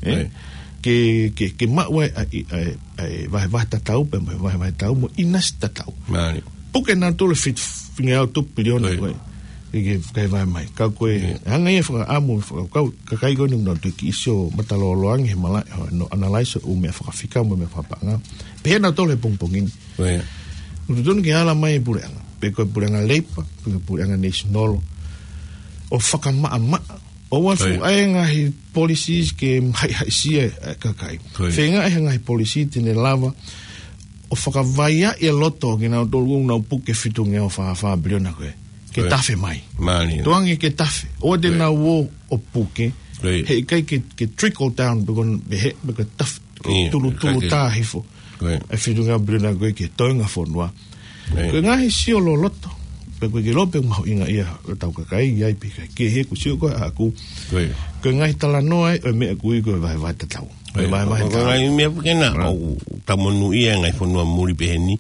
Ē? Ko ia. Ke, ke, ke maʻu ai ʻa e, ʻa e, ʻa e vahevahe tatau, pea mo e vahevahe tau, mo e ʻinasi tatau. Mali. Puke nautolu e fitu, fitungeau tupu piliona Ko ia. ko ē. Ke, ke, ke vahe mai. Ka ko e, Ko ia. hanga ia fakaʻamu, fakakau, kakai ko eni ʻoku nau tuki ʻi he sio matalōloange he malaʻe, hono analyze ʻo e ʻū meʻa fakafika, mo e meʻa fakapaʻanga. Pehē nautolu he pongipongi ni. Ko ia. ʻOku totonu ke ala mai e puleʻanga. Pe ko e puleʻanga Labour, pe ko e puleʻanga National. ʻO fakamaʻamaʻa. ʻOua ʻe Ko ia. fuʻu ʻai e ngaahi policies ke haʻihaʻisia e kakai. Ko ia. Feingaʻi e ngaahi policy te ne lava ʻo fakavaiaʻi e loto kinautolu ʻoku nau puke fitungeau fā fā piliona ko ē. Ke Ko ia. tafe mai. Mali. Tukuange ke tafe. ʻOua te Ko ia. nau ō ʻo puke. Ko ia. He ʻikai ke, ke trickle down, pe ko e, pe he, pe ko e tafe. ʻIo, Tulutulu ka ke tā hifo. Ko ia. E fitungeau piliona ko ē ki he toenga fonua. Ko ia. Ko e ngaahi sio loloto. Pea ko e ke lope mahuʻinga ia ʻo tau kakai, ʻi ai pē kakai. Ke he ʻoku sio ko ē ʻaku. Ko ia. Ko e ngaahi talanoa ē, ʻo e meʻa ʻoku ui ko e vahevahe tatau. Ko ia. Vahevahe Ko e tatau. ngaahi meʻa pē ke na, Right. ʻoku tau monūʻia e ngaahi fonua muli pehē ni.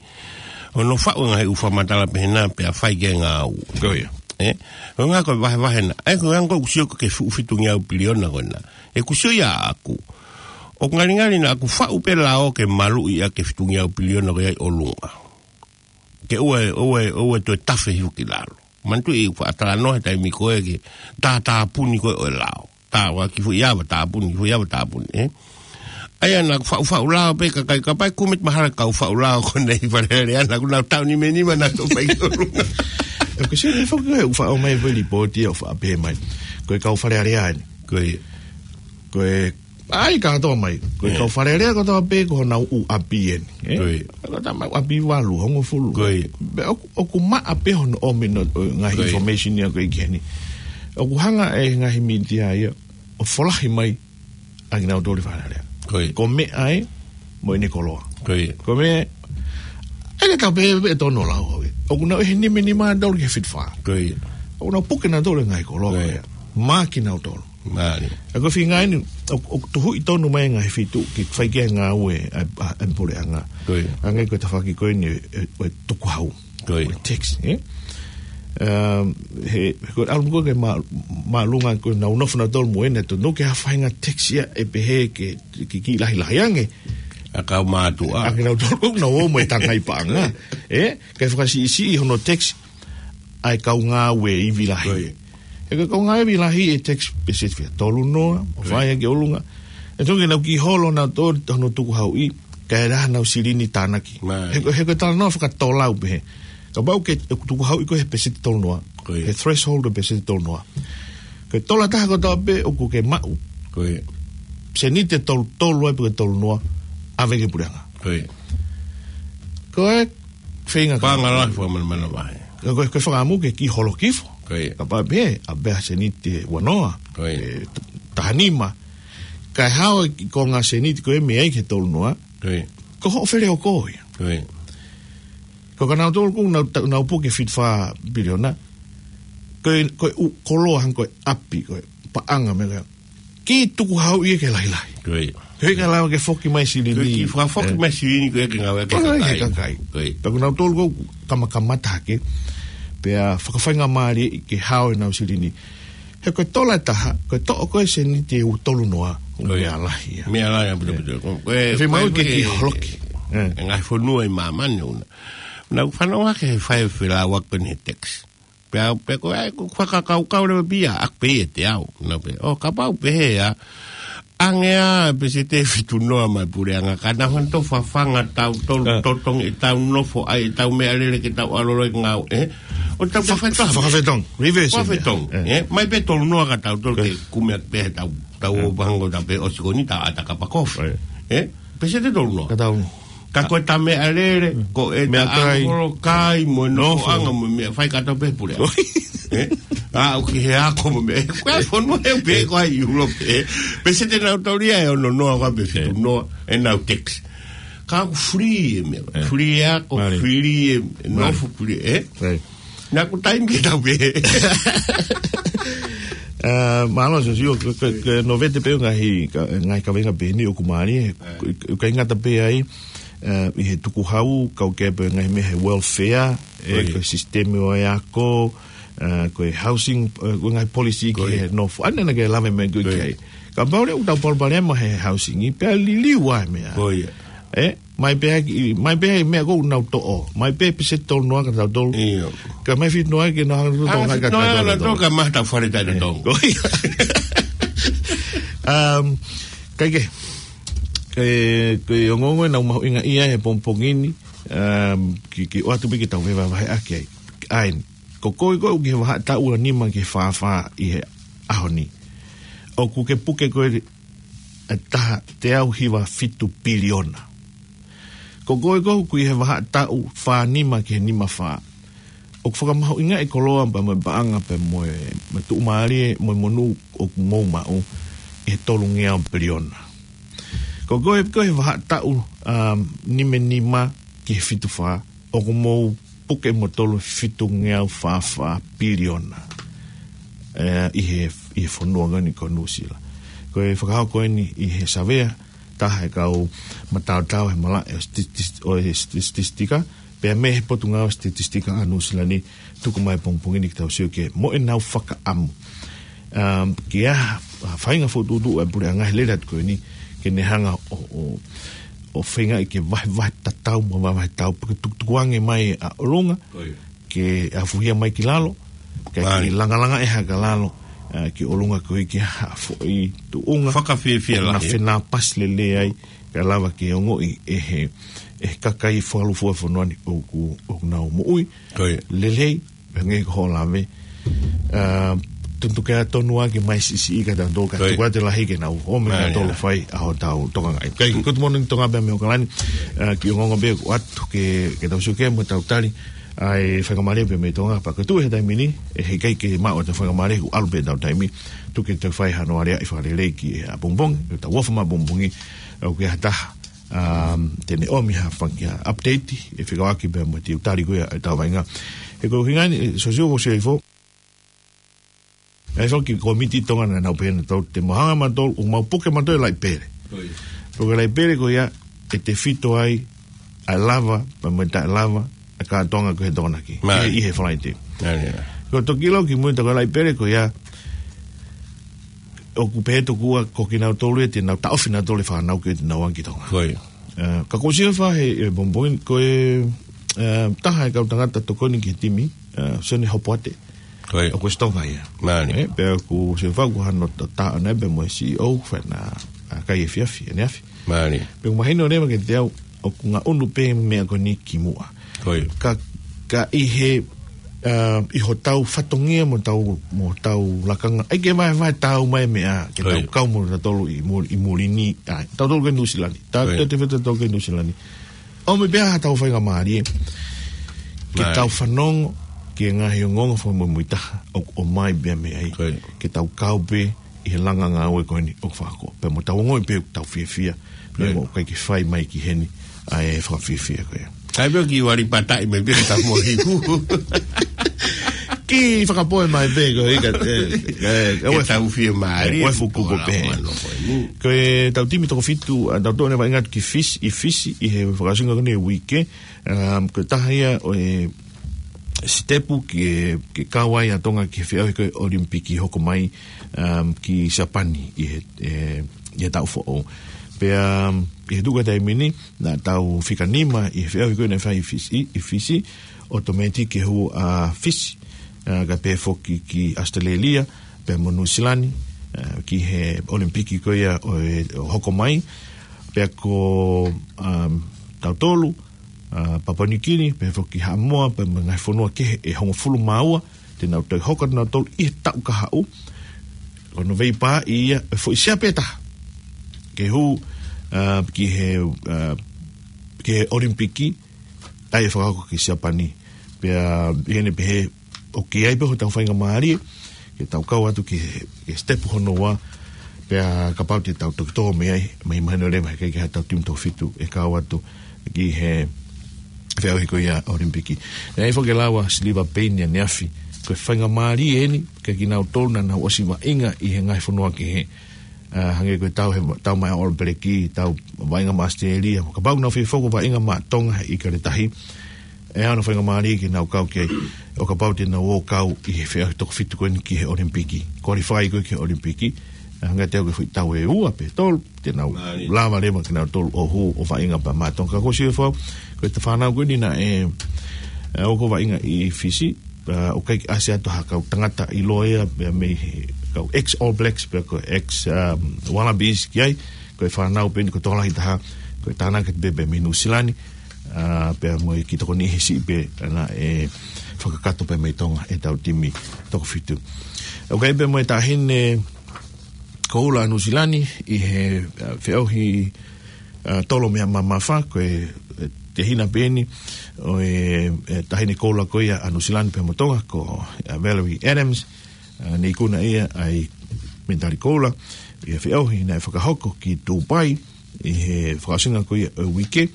ʻO nau faʻu e ngaahi ʻū fakamatala pehē na, pea fai ki ai e ngāue. Ko ia. Ē? Ko e ngaahi ko e vahevahe na. Ē, ko e ngaahi ko ē ʻoku sio ko ē ki he fuʻu fitungeau piliona ko ena. ʻOku sio ia ʻaku. ʻOku ngalingali naʻa ku faʻu pē lao ke maluʻi ʻaki e fitungeau piliona ko ia ʻi ʻolunga. Ke ʻoua, ʻoua, ʻoua toe tafe hifo ki lalo. Manatuʻi ʻeku faʻa talanoa he taimi ko ē ki he tātāpuni ko ē ʻo e lao. Tā ua ki fuʻu ia ʻava tāpuni, ki fuʻu ia ʻava tāpuni, ē? ʻA ia naʻa ku faʻu, faʻu lao pē kakai, kapau ʻe kumi atu mahalo e kau faʻu lao ko eni ʻi Fale Alea, naʻa ku nau tau nimenima naʻa nau toʻo pē ki ʻolunga. ʻOku sio ni foki ʻoku faʻu mai pē lipooti ʻo faʻu pē mai. Ko e kau Fale Alea eni. Ko ia. Ko e, ʻai kātoa mai. Ko e kau Fale Alea kotoa pē ko honau ʻū ʻapi eni. Ko ia. Ko e tama ʻapi valu, hongofulu. Ko ia. Pea ʻoku, ʻoku maʻa pē hono ʻomi ʻo, ʻo ngaahi information ia ko ē ki heni. ʻOku hanga ʻe he ngaahi mītia ia ʻo folahi mai ʻa kinautolu ʻi Fale Alea. Ko ia. Ko meʻa ē mo ʻene koloa. Ko ia. Ko meʻa ē, ʻikai ke tau pehē pē ʻe tonu ʻa e lau ʻo e. ʻOku nau ʻi he nimenima ʻa kinautolu ki he fitu fā. Ko ia. ʻOku nau puke nautolu e ngaahi koloa ko ia. Ko ia. Maʻa kinautolu. Mālie. ʻA ia ko e feinga eni, ʻo, ʻo tuhuʻi tonu mai e ngaahi feituʻu ke fai ki ai e ngāue ʻa, ʻa, ʻa e puleʻanga. Ko ia. Hangē ko e tafaʻaki ko eni, ʻe, ʻe, ʻe tukuhau. Ko ia. Ko e tax, ē? Um, he, he ko e ʻalu ko ē ke mā-, māʻolunga ko ē nau nofo nautolu mo ʻene tonu ke ha faʻahinga tax ia ʻe pehē ke, ke kiʻi lahilahi ange. ʻA e kau mātuʻa. ʻA kinautolu ʻoku nau ō mo e tangai paʻanga. Ē? Ke fakasiʻisiʻi hono tax ʻa e kau ngāue ivi lahi. Ko ia. He ko e kau ngāue ivi lahi ʻe tax pēseti fika tolu noa, ʻo fai ki ʻolunga. ʻE tonu ke nau kiʻi holo nautolu hono tukuhauʻi, kae ʻai hanau silini tānaki. Mālie. He ko, he ko e talanoa fakatola ʻoku pehē. Kapau ke, ʻe tukuhauʻi koe he pēseti tolu noa. Ko ia. He threshold ʻo e pēseti tolu noa. Ko e tola ʻe taha kotoa pē ʻoku ke maʻu. Ko ia. Seniti ʻe tolu tolu ai pe ko e tolu noa. ʻAve ki he puleʻanga. Ko ia. Ko e feinga paʻanga lahi fakamanamana vahe. Ko e, ko e fakaʻamu ke kiʻi holo hifo. Ko ia. Kapau pē, ʻave ha seniti ʻe ua noa. Ko ia. ʻE t-, taha nima. Kae hao e kiʻi konga seniti ko ē mei ai ki he tolu noa. Ko ia. Ko hoʻo feleoko ia. Ko ia. Ko kinautolu ʻoku nau ta-, nau puke fitu fā piliona. Ko e, ko e ʻū koloa hangē ko e ʻapi, ko e paʻanga meʻa ko ē. Kiʻi tukuhauʻi ia ke lahilahi. Ko ia. He ʻikai lava ke foki mai silini. Ko e kiʻi fakafoki mai silini ko ē ke ngāue ki he kakai. Ko ia. Pea ko kinautolu ʻoku kamakamata hake. Pea fakafaingamālie ke hao ʻenau silini. He ko e tola ʻe taha, ko e toʻo ko ē seniti ʻe tolu noa, ko ia. Meʻa lahi ia. Meʻa lahi ia, betul, betul. Ko e, fiemaʻu ke kiʻi holoki. ʻE. ʻE ngaahi fonua ʻi māmani ʻoku nau. Nau fanongo hake he fai felāuaki ko eni he tax. Pea, pea ko e, ko e fakakaukau leva pē ia, ʻa pē ʻiate au. Nau pehē, ʻo kapau pehē ʻa, ʻange ʻa e pēseti ʻe fitu noa mai puleʻanga, ka nau hanga ʻo fafanga tautolu, totongi ʻetau nofo, ʻai ʻetau meʻalele ke tau ʻalu ʻo ngāue, ē? ʻO tau fai toa. Fakafetongi, reverse. Fakafetongi, ē? Mai pē tolu noa ka tautolu ke kumi atu pē tau, tau ō pē hangē ko ʻetau pehē ʻosi ko eni tau ʻata kapa kofi. Ē? Pēseti ʻe tolu noa. Ka tau. Ka ko ʻeta meʻalele, ko ʻeta meʻakai. ʻAngaholo, kai, mo e nofoʻanga, mo e meʻa fai kātoa pē puleʻanga. Ē? ʻA, ʻoku ʻi he ako mo e meʻa. Ko e fonua ʻe pē ko ē ʻi ʻIulope. Pēseti ʻe nau taulia ʻe ono noa ko ē pe fitu noa, ʻenau tax. Ka ʻoku free e meʻa. Free e ako, free e nofo, free, ē? Naʻa ku taimi ke tau pē. Mālō, Sosio, ke, ke, ke novete pē ngaahi, ka, ngaahi kaveinga pē ni ʻoku mālie, ʻoku, ʻoku ʻikai ngata pē ai, ʻi he tukuhau, kau ke pē ngaahi meʻa he welfare, ʻe, ko e sisitemi ʻo e ako, ko e housing, ko e ngaahi policy ki he nofo. ʻAnenai ke lave mai ko ē ki ai. Kapau leva ʻoku tau palopalema he housing, pea liliu ai meʻa. Ē? Mai pē ʻa e, mai pē ʻa e meʻa ʻoku nau toʻo. Mai pē pēseti ʻe tolu noa ka tau tolu. ʻIo. Ka mai fitu noa ke nau hanga ʻo toʻo. Anga fitu noa ka nau toʻo ka mai tau fale taʻe toʻo. Ko ia. Um, kae kehe. Ko e, ko e ongoongo ʻe nau mahuʻinga ia he pongipongi ni. Um, ke, ke ʻoatu pē ke tau vahevahe ʻaki ai. ʻA eni. Ko koe ko ē ʻoku ke vahaʻa taʻu ʻe nima ki he fā fā ʻi he ʻaho ni. ʻOku ke puke ko ē ʻe taha teau hiva fitu piliona. Ko koe ko ē ʻoku ʻi he vahaʻa taʻu fā nima ki he nima fā. ʻOku fakamahuʻingaʻi e koloa pea mo e paʻanga pea mo e, mo e tuʻumālie mo e monū ʻoku mou maʻu ʻi he tolungeau piliona. Ko koe ko ē ʻi he vahaʻa taʻu, um, nima nima ki he fitu fā. ʻOku mou puke mo tolu fitungeau fā fā piliona. ʻE, ʻi he, ʻi he fonua ko eni ko Nuʻusila. Ko e fakahoko eni ʻi he savea, taha e kau mataotao he malaʻe ʻo e statis-, ʻo e statistika, pea mei he Potungāue Statistika ʻa Nuʻusila ni, tuku mai pongipongi ni ke tau sio ki ai mo ʻenau fakaʻamu. Um, ke ʻai ha faʻahinga fokotuʻutuʻu ʻa e puleʻanga he lele atu ko eni, ke ne hanga ʻo, ʻo, ʻo feingaʻi ke vahevahe tatau mo vahevahe tau, pea ke tukutukuange mai ʻa ʻolunga, ke ʻafuhia mai ki lalo, ke, ke langalanga ʻe haka lalo, ʻa, ki ʻolunga ko ē ke ha foʻi tuʻunga. Fakafiefia lahi. Naʻa fenāpasi lelei ai. Kae lava ke ongoʻi ʻe he, ʻe he kakai fualufua fonua ni ʻoku, ʻoku nau moʻui. Ko ia. Lelei, pea hangē ko hoʻo lave. ʻA, tuku ke tonu ake mai siʻisiʻi ka tau tō ka Ko ia. Tuku atu lahi ke nau ō mai Ko ia. Tolo fai ʻa hotau tokangaʻi. Kai, ko te mono ni Tonga pea mei Okalani. ʻA, kiʻi ongoongo pē ʻoatu ke, ke tau sio ki ai mo tau tali ʻa e faingamālie pē mei Tonga, pea ko e tuʻu he taimi ni, ʻe heʻikai ke maʻu ʻetau faingamālie, ʻoku ʻalu pē ʻetau taimi, tuku ke tau fai hano aleaʻi fakalelei ki he ʻapongipongi, ke tau ʻofa mai ʻapongipongi, ʻoku ʻi ai ha taha, um, te ne ʻomi ha fanga update, ʻe fekauʻaki pē mo e tali ko ia ʻetau vaʻinga. He ko e ʻuhinga ni, ʻe, Sosio ko Sio Ifo, ʻa e foki kōmiti Tonga naʻa nau pehē naʻa tau te mau hanga mautolu, ʻo mau puke mautolu e laʻi pele. Ko ia. Puke laʻi pele ko ia, ʻe tefito ai, ʻa e lava, pea mo e taʻelava, ʻa e kātoanga ko ē he Tokonaki. Mai. ʻI he, ʻi he Falaite. Mai, ia. Ko e toki lau ki mui ta ko e laʻi pele ko ia, ʻoku pehē tokua ko kinautolu ē te nau taʻofi nautolu e fānau ko ē te nau ʻalu ki Tonga. Ko ia. ʻA, ka ko Sio Ifo he, he pongipongi ko e, ʻa, taha e kau tangata tokoni ki he timi, ʻa, Sione Hopoate. Ko ia. ʻOku ʻosi Tonga ia. Mālie. ʻE, pea ko Sio Ifo ko hano ta, ta, ʻana pea mo e C E O, fai na, ʻa, kai efiafi, ʻaneafi. Mālie. Pea ʻoku mahino leva kiate au, ʻoku ngaʻunu pē meʻa ko eni ki muʻa. Ko ia. Ka, ka ʻi he, ʻa, ʻi hotau fatongia mo tau, mo tau lakanga. ʻAi ke vaevae tau mai meʻa, ke Ko tau ia. Kau mo tautolu ʻi muli, ʻi muli ni, ʻa, tautolu ko ē Nuʻusila ni. Ta, Ko ia. Te, te feta tautolu ko ē Nuʻusila ni. ʻOmi pē ha tau faingamālie, ke Mālie. Tau fanongo, ki he ngaahi ongoongo fakamuimuitaha, ʻo, ʻomai pē mei ai, Ko ia. Ke tau kau pē, ʻi he langa ngāue ko eni ʻoku fakahoko. Pea mo tau ongoʻi pē tau fiefia, Ko ia. Mo ʻikai ke fai mai ki heni, ʻa e fakafiefia ko ia. Kai pē ki wali pataʻi mai pē ka mo hiku. Ki fakapoʻuli mai pē ko ia, ʻe, ʻe, ʻe, Ke tau fiemālie, ʻe, ʻe fuku ko pē. Ko e tau timi toko fitu, ʻa, tau tō ʻene vaʻinga ki Fisi, ʻi Fisi, ʻi he fakaʻosinga ko eni e uike, um, ko e taha ia ʻo e sitepu ke, ke kau ai ʻa Tonga ki he feʻauhi ko ē ʻOlimipiki hoko mai, um, ki Siapani ʻi he, ʻe, ʻi he taʻu foʻou. Pea, um, ʻi he tuʻu ko ē taimi ni, naʻa tau fika nima ʻi he feʻauhi ko ē naʻe fai ʻi Fisi, ʻi Fisi, ʻotomētiki ke hū ʻa Fisi, ʻa, kae pehē foki ki ʻAositelēlia, pea mo Nuʻusila ni, ʻa, ki he ʻOlimipiki ko ia ʻo e, ʻo hoko mai, pea ko, um, tautolu, ʻa, Papua Niu Kini, pea foki Haʻamoa, pea mo e ngaahi fonua kehe ʻe hongofulu mā ua, te nau toe hoko atu nautolu ʻi he taʻu kahaʻu. Ko Nōvempa ia, ʻe foʻi sea pē taha. Ke hū, ʻa, ki he, ʻa, ki he ʻOlimipiki, ʻa ia ʻe fakahoko ki Siapani. Pea, ʻi heʻene pehē, ʻoku ʻi ai pē hotau faingamālie, ke tau kau atu ki he, ki he sitepu hono ua, pea kapau te tau toki tō mei ai, mahino leva heʻikai ke ʻi ai hatau timi toko fitu ʻe kau atu ki he feʻauhi ko ia ʻOlimipiki. Naʻe ʻi ai foki e lau ʻa Siliva Peini ʻaneafi, ko e faingamālie eni, kia kinautolu naʻa nau ʻosi vaʻinga ʻi he ngaahi fonua kehe, ʻa, hangē ko e tau he, tau mai ʻa ʻAlo Peleki, tau vaʻinga maʻa ʻAositelēlia, kapau naʻa nau fie foki ʻo vaʻinga maʻa Tonga ʻi Kaletahi, ʻe ʻi ai hano faingamālie ke nau kau ki ai, ʻo kapau te nau ō kau ʻi he feʻauhi toko fitu ko eni ki he ʻOlimipiki. Qualify ko ē ki he ʻOlimipiki, ʻa, hangē te au ki he foʻi tau ʻe ua pe tolu, te nau Mālie. Lava leva ke nau tolu ʻo hū ʻo vaʻinga pē maʻa Tonga. Ka ko Sio Ifo, ko e fānau ko eni naʻe, ʻe, ō ko ē vaʻinga ʻi Fisi, ʻa, ʻoku ʻikai ke ʻasi atu ha kau tangata ʻiloa ia, pea mei he kau ex All Blacks, pea ko e ex, um, Wallabies ki ai, ko e fānau pē eni ko e tokolahi taha, ko e tānaki pē pea mei Nuʻusila ni, ʻa, pea mo e kiʻi tokoni he siʻi pē, ʻa, naʻe fakakakato pē mei Tonga ʻetau timi toko fitu. ʻOku ʻi ai pē mo e taʻahine koula ʻa Nuʻusila ni ʻi he, ʻa, feʻauhi, ʻa, tolo meʻa mamafa, ko e, ʻe, tehina pē eni ʻo e, ʻe, taʻahine koula ko ia ʻa Nuʻusila ni pea mo Tonga, ko, ʻa, Valerie Adams, ʻa, ne ikuna ia ʻa e mitali koula, ʻi he feʻauhi naʻe fakahoko ki Dubai, ʻi he fakaʻosinga ko ia ʻo e uike,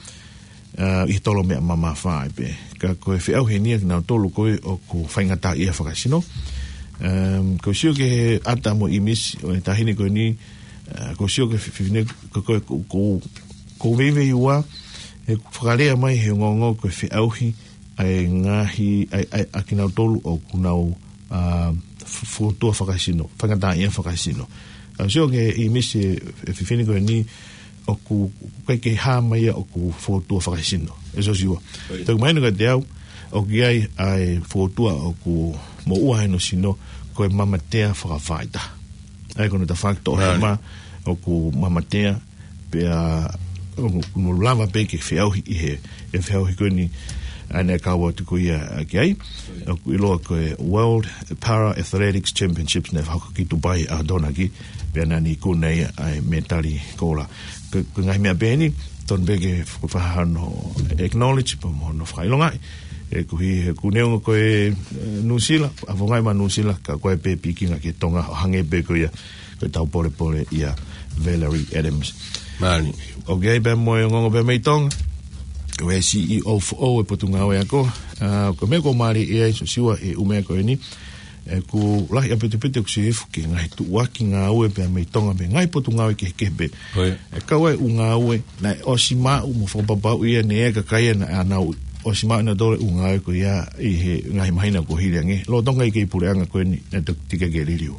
ʻa, ʻi he tolo meʻa mamafa ai pē. Ka ko e feʻauhi eni ʻa kinautolu ko ē ʻoku faingataʻaʻia fakasino. Um, ʻoku ou sio ki he ʻata mo e ʻīmisi ʻo e taʻahine ko eni, ʻa, ʻoku ou sio ki he fefine ko, ko, ko, ko, ʻoku ou veiveiua, he fakalea mai he ongoongo ko e feʻauhi ʻa e ngaahi, ʻa e, ʻa e, ʻa kinautolu ʻoku nau, ʻa, fu-, fuotua fakasino, faingataʻaʻia fakasino. ʻOku ou sio ki he ʻīmisi e, e fefine ko eni, ʻoku ʻikai ke hā mai ia ʻoku fuotua fakasino. ʻE Sosiua. ʻOi. Toki mahino kiate au, ʻoku ʻi ai ʻa e fuotua ʻoku moʻua ai hono sino, ko e mamatea fakafaita. ʻA ia ko hono tafaʻaki toʻohema, Right. ʻoku mamatea, pea ʻoku nau lava pē ke feʻauhi ʻi he, ʻe feʻauhi ko eni ʻa ʻene kau atu ko ia ki ai. ʻOku ʻiloa ko e World Para Athletics Championships naʻe fakahoko ki Dubai ʻa Donaki, pea naʻa ne ikuna ia ʻa e mētali koula. Ko, ko e ngaahi meʻa pehē ni, tonu pē ke fakahano acknowledge, pea mo hono fakaʻilongaʻi. ʻE koeʻuhi he ʻoku neongo ko e, ʻe, Nuʻusila, ʻa vongai ma Nuʻusila, ka ko e pē pikinga ki Tonga, ʻo hangē pē ko ia, ko e tau polepole ia Valerie Adams. Mālie. ʻOku ʻi ai pē mo e ongoongo pē mei Tonga. Ko e C E O foʻou e Potungāue Ako. ʻA, ko e meʻa ʻoku mālie ʻi ai, Siosiua, ʻi he ʻū meʻa ko eni. ʻOku lahi ʻaupito ʻeku sio ki he ngaahi tuʻuaki ngāue pē mei Tonga pē, ngaahi potungāue kehekehe pē. ʻIo. ʻE kau ai ʻū ngāue, naʻe ʻosi maʻu mo fakapapauʻi ia ʻe he kakai naʻa nau ʻosi maʻu ʻenautolu e ʻū ngāue ko ia ʻi he ngaahi māhina kuo hili ange. Lolotonga ʻi he puleʻanga ko eni, naʻe toki tika ke liliu.